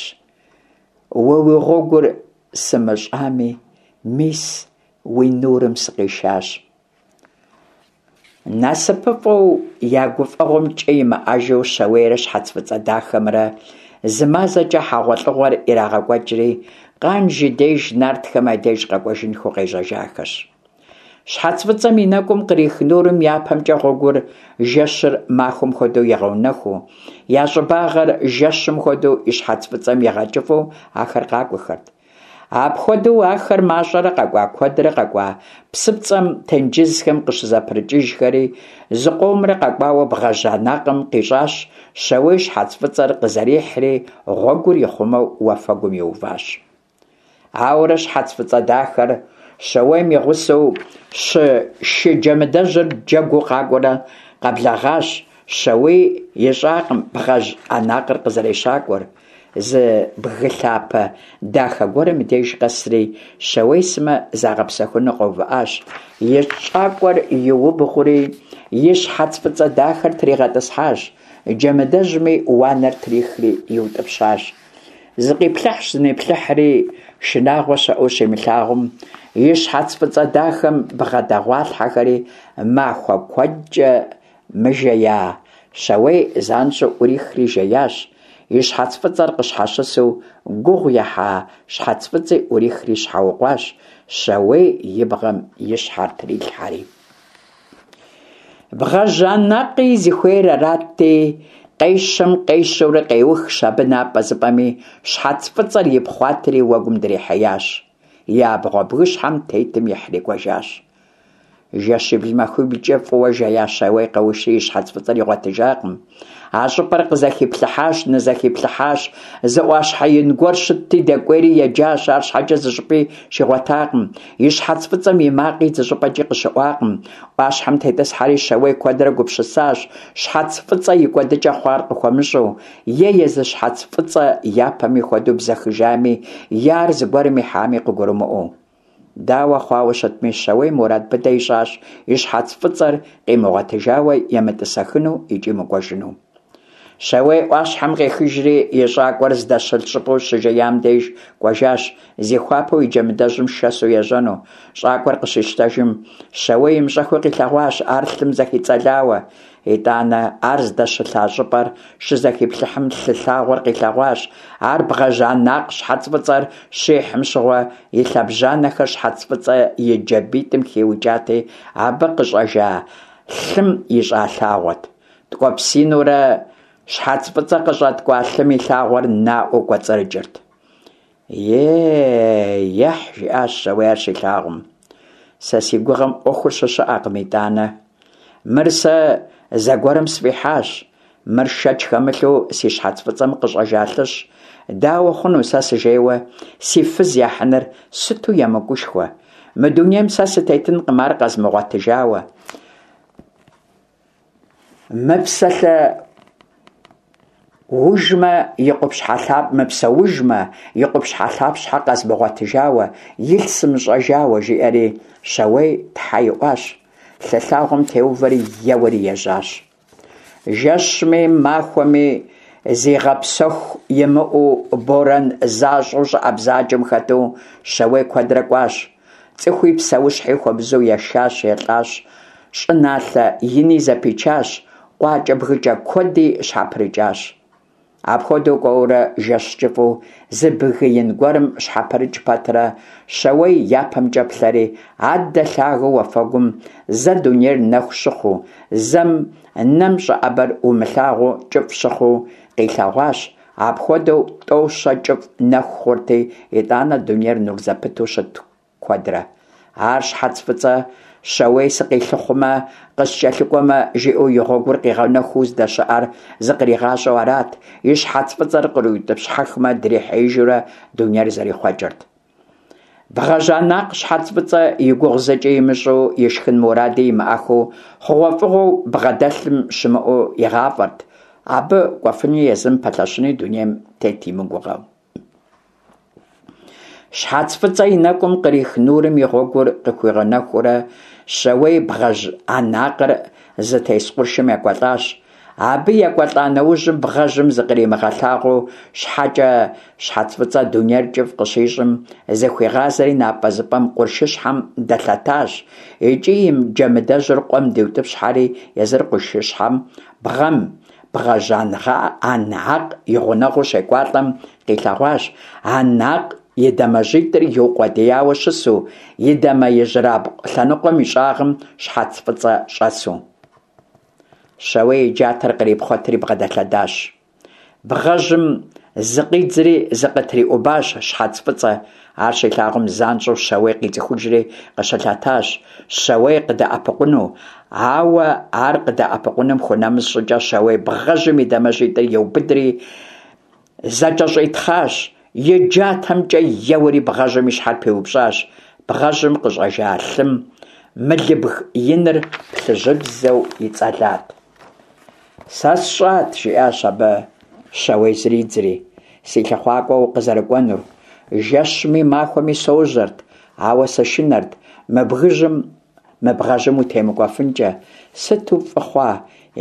Уэ уи гъуэгур сымыщӏами, мис уи нурым сыкъишащ. Насыпыфӏэу я гуфӏэгъуэм кӏэ имыӏэжу Щауейрэ Щхьэц Фӏыцӏэ дахэмрэ зы мазэкӏэ хьэгъуэлӏыгъуэр ирагъэкӏуэкӏри, Къанж и деж нартхэм я деж къэкӏуэжынхэу къежьэжахэщ. Щхьэц фӏыцӏэм и нэкӏум кърих нурым япэмкӏэ гъуэгур жэщыр махуэм хуэдэу игъэунэхуу, я щӏыбагъыр жэщым хуэдэу и щхьэц фӏыцӏэм игъэкӏыфӏу ахэр къакӏуэхэрт. Апхуэдэу ахэр мащӏэрэ къэкӏуа, куэдрэ къэкӏуа, псыпцӏэм, тенджызхэм къыщызэпрыкӏыжхэри, зыкъомрэ къэкӏуауэ бгъэжь Анакъым къищӏащ Щауей щхьэц фӏыцӏэр къызэрихьри, гъуэгур ихъумэу уафэгум иуващ. Ауэрэ щхьэц фӏыцӏэ дахэр Щауейм и гъусэу щы шы Джэмыдэжьыр джэгуу къакӏуэурэ къэблэгъащ. Щауей ищӏакъым бгъэжь Анакъыр къызэрещакӏуэр. Зы бгы лъапэ дахэ гуэрым и деж къэсри, Щауей сымэ загъэпсэхуну къэувыӏащ. И щӏакӏуэр иубгъури, и щхьэц фӏыцӏэ дахэр тригъэтӏысхьащ, Джэмыдэжьми уанэр трихри иутӏыпщащ. Зыкъиплъыхьщ-зыниплъыхьри, шынагъуэ щыӏэу щимылъагъум, и щхьэц фӏыцӏэ дахэм бгъэдэгъуалъхьэхэри махуэ куэдкӏэ мыжея Щауей занщӏэу ӏурихри жеящ. И щхьэц фӏыцӏэр къыщхьэщысу гугъу ехьа щхьэц фӏыцӏи ӏурихри щхьэукъуащ, Щауей и бгъэм и щхьэр трилъхьэри. Бгъэжь Анакъи зыхуейр арати, къещэм-къещэурэ къеухщ абы напӏэзыпӏэми, щхьэц фӏыцӏэр ипхъуатэри уэгум дрихьеящ, и абгъуэ бгыщхьэм тетым ихьри кӏуэжащ. Жэщибл-махуиблкӏэ фӏыуэ жея Щауей къэушри и щхьэц фӏыцӏэр игъуэтыжакъым. А щӏыпӏэр къызэхиплъыхьащ, нызэхиплъыхьащ, зы ӏуащхьэ ин гуэр щытти, дэкӏуейри еджащ, арщхьэкӏэ зыщӏыпӏи щигъуэтакъым. И щхьэц фӏыцӏэм и макъи зыщӏыпӏэкӏи къыщыӏуакъым. Ӏуащхьэм тетӏысхьэри Щауей куэдрэ гупсысащ, щхьэц фӏыцӏэ и кӏуэдыкӏэ хъуар къыхуэмыщӏэу, е езы щхьэц фӏыцӏэ япэми хуэдэу бзэхыжами, е ар зыгуэрым ихьами къыгурымыӏуэу. Дауэ хъуауэ щытми, Щауей мурад быдэ ищӏащ и щхьэц фӏыцӏэр къимыгъуэтыжауэ емытӏысэхыну икӏи мыкӏуэжыну. Щауей ӏуащхьэм къехыжри и щӏакӏуэр здэщылъ щӏыпӏэу щыжеям деж кӏуэжащ, зихуапэу и Джэмыдэжьым шэсу ежьэну. Щӏакӏуэр къыщищтэжым, Щауей имыщӏэххэу къилъэгъуащ ар лъым зэхицӏэлауэ. Итӏанэ ар здэщылъа щӏыпӏэр щызэхиплъыхьым лъы лъагъуэр къилъэгъуащ. Ар бгъэжь Анакъ щхьэц фӏыцӏэр щихьым щыгъуэ и лъэбжьанэхэр щхьэц фӏыцӏэ и джабитӏым хиукӏати, абы къыщӏэжа лъым ищӏа лъагъуэт. Ткӏуэпсинурэ щхьэц фӏыцӏэ къыщӏэткӏуа лъым и лъагъуэр наӏуэу кӏуэцӏрыкӏырт. Е-ехь, жиӏащ Щауей ар щилъагъум. Сэ си гугъэм ӏуэхур щыщыӏэкъым итӏанэ. Мыр сэ зэгуэрым сфӏихьащ. Мыр шэч хэмылъу си щхьэц фӏыцӏэм къыщӏэжа лъыщ. Дауэ хъуну сэ сыжейуэ си фыз яхьыныр, сыту емыкӏушхуэ. Мы дунейм сэ сытетынкъым ар къэзмыгъуэтыжауэ. Мыпсэлъэ ужмэ и къупщхьэлъап мыпсэужмэ и къупщхьэлъапщхьэ къэзмыгъуэтыжауэ, илъ сымыщӏэжауэ, жиӏэри Щауей тхьэ иӏуащ. Лъы лъагъуэм теувэри еуэри ежьащ. Жэщми махуэми зигъэпсэху имыӏэу борэн защӏэу щӏыӏэ бзаджэм хэту Щауей куэдрэ кӏуащ. Цӏыхуи псэущхьи хуэмызэу ешащ, елӏащ, щӏыналъэ ини зэпичащ, къуакӏэ-бгыкӏэ куэди щхьэпрыкӏащ. Апхуэдэу кӏуэурэ жэщ кӏыфӏу зы бгы ин гуэрым щхьэпрыкӏ пэтрэ, Щауей япэмкӏэ плъэри, аддэ лъагэу уафэгум зэ дунейр нэху щыхъуу, зэм нэм щӏэӏэбэр умылъагъуу кӏыфӏ щыхъуу къилъэгъуащ. Апхуэдэу тӏэу-щэ кӏыфӏ нэху хъурти, итӏанэ дунейр нур зэпыту щытт куэдрэ. Ар щхьэц фӏыцӏэ Щауей сыкъилъыхъумэ, къыскӏэлъыкӏуэмэ, жиӏэу и гъуэгур къигъэнэхуу здэщыӏэр зыкъригъащӏэу арат, и щхьэц фӏыцӏэр къриутӏыпщхьэхмэ, дрихьеижурэ дунейр зэрихъуэкӏырт. Бгъэжь Анакъ щхьэц фӏыцӏэ и гугъу зыкӏи имыщӏу, ишхын муради имыӏэххэу, хъугъуэфӏыгъуэу бгъэдэлъым щымыӏэу игъафӏэрт, абы кӏуэфыни езым пэлъэщыни дунейм тет имыгугъэу. Щхьэц фӏыцӏэ и нэкӏум кърих нурым и гъуэгур къыхуигъэнэхуурэ, Щауей бгъэжь Анакъыр зытес къуршым екӏуэлӏащ. Абы екӏуэлӏа нэужьым бгъэжьым зыкъримыгъэлъагъуу щхьэкӏэ щхьэц фӏыцӏэ дунейр кӏыфӏ къыщищӏым, зыхуигъазэри напӏэзыпӏэм къуршыщхьэм дэлъэтащ, икӏи и джэмыдэжьыр къуэм диутӏыпщхьэри езыр къуршыщхьэм бгъэм бгъэжь Анакъ и гъунэгъуу щекӏуалӏэм къилъэгъуащ Анакъ и дамэжьитӏыр иукъуэдияуэ щысу, и дамэ ижьырабгъу лъэныкъуэм и щӏагъым Щхьэц Фӏыцӏэ щӏэсу. Щауей и джатэр кърипхъуэтри бгъэдэлъэдащ. Бгъэжьым зыкъидзри зыкъытриӏубащ Щхьэц Фӏыцӏэ. Ар щилъагъум, занщӏэу Щауей къицӏыхужри къыщылъэтащ, Щауей къыдэӏэпыкъуну. Ауэ ар къыдэӏэпыкъуным хунэмыс щӏыкӏэ, Щауей бгъэжьым и дамэжьитӏыр иубыдри зэкӏэщӏитхъащ, и джатэмкӏэ еуэри бгъэжьым и щхьэр пиупщӏащ. Бгъэжьым къыщӏэжа лъым мылыбг иныр плъыжьыбзэу ицӏэлат. Сэ сщӏат, – жиӏащ абы Щауей зридзри, – си лъыхъуакӏуэ укъызэрыкӏуэнур. Жэщми махуэми сожьэрт, ауэ сышынэрт мы бгыжьым мы бгъэжьым утемыкӏуэфынкӏэ. Сыту фӏы хъуа,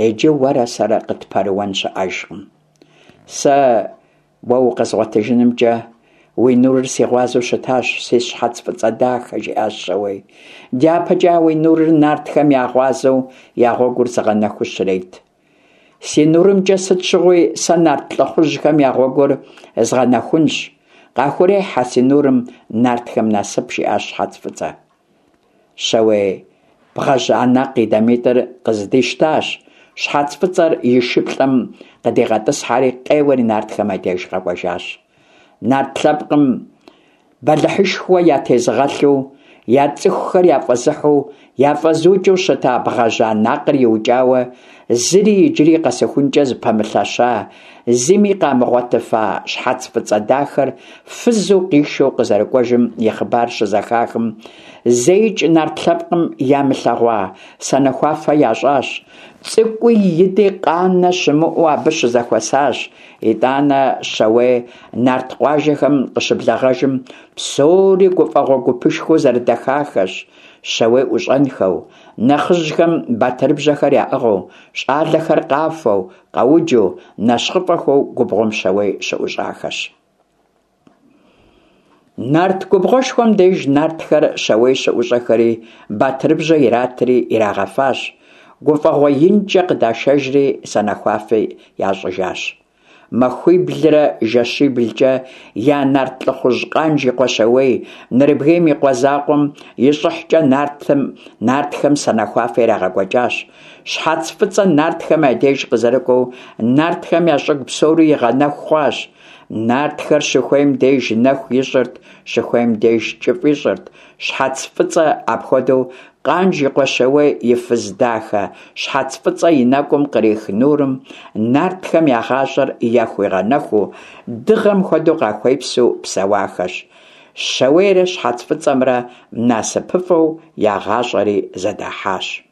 иджы уэрэ сэрэ къытпэрыуэн щыӏэжкъым. Сэ уэ укъэзгъуэтыжынымкӏэ уи нурыр си гъуазэу щытащ, си щхьэц фӏыцӏэ дахэ, – жиӏащ Щауей. Дяпэкӏэ а уи нурыр нартхэм я гъуазэу, я гъуэгур зыгъэнэхуу щрет. Си нурымкӏэ сыт щыгъуи сэ нарт лӏыхъужьхэм я гъуэгур згъэнэхунщ. Къахурехь а си нурым нартхэм насып, – жиӏащ Щхьэц Фӏыцӏэ. Щауей бгъэжь Анэкъ и дамитӏыр къыздищтащ, Щхьэц Фӏыцӏэр и шыплӏэм къыдигъэтӏысхьэри, къеуэри нартхэм я деж къэкӏуэжащ. Нарт лъэпкъым бэлыхьышхуэ ятезыгъэлъу, я цӏыхухэр яфӏэзыхьу, яфӏэзыукӏыу щыта бгъэжь Анакъыр иукӏауэ, зыри иджыри къэсыхункӏэ зыпэмылъэща, зыми къамыгъуэтыфа Щхьэц Фӏыцӏэ дахэр фызу къишэу къызэрыкӏуэжым и хъыбар щызэхахым, зэикӏ нарт лъэпкъым ямылъэгъуа санэхуафэ ящӏащ. Цӏыкӏуи ини къанэ щымыӏэу абы щызэхуэсащ. Итӏанэ Щауей нарт къуажэхэм къыщыблэгъэжым, псори гуфӏэгъуэ гупышхуэу зэрыдэхахэщ, Щауей ӏущӏэнхэу. Нэхъыжьхэм батырыбжьэхэр яӏыгъыу, щӏалэхэр къафэу, къэуджу, нэщхъыфӏэхэу губгъуэм Щауей щыӏущӏахэщ. Нарт губгъуэшхуэм деж нартхэр Щауей щыӏущӏэхэри, батырыбжьэ иратри ирагъэфащ, гуфӏэгъуэ инкӏэ къыдашэжри санэхуафи ящӏыжащ. Махуиблрэ жэщиблкӏэ я нарт лӏыхъужь Къанж и къуэ Щауей, Нэрыбгейм и къуэ закъуэм и щӏыхькӏэ нартым нартхэм санэхуафэ ирагъэкӏуэкӏащ. Щхьэц Фӏыцӏэ нартхэм я деж къызэрыкӏуэу, нартхэм я щӏыгу псори игъэнэху хъуащ. Нартхэр щыхуейм деж нэху ищӏырт, щыхуейм деж кӏыфӏ ищӏырт. Щхьэц Фӏыцӏэ апхуэдэу Къанж и къуэ Щауей и фыз дахэ Щхьэц Фӏыцӏэ и нэкӏум кърих нурым нартхэм я гъащӏэр яхуигъэнэхуу, дыгъэм хуэдэу къахуепсу псэуахэщ. Щауейрэ Щхьэц Фӏыцӏэмрэ насыпыфӏэу я гъащӏэри зэдахьащ.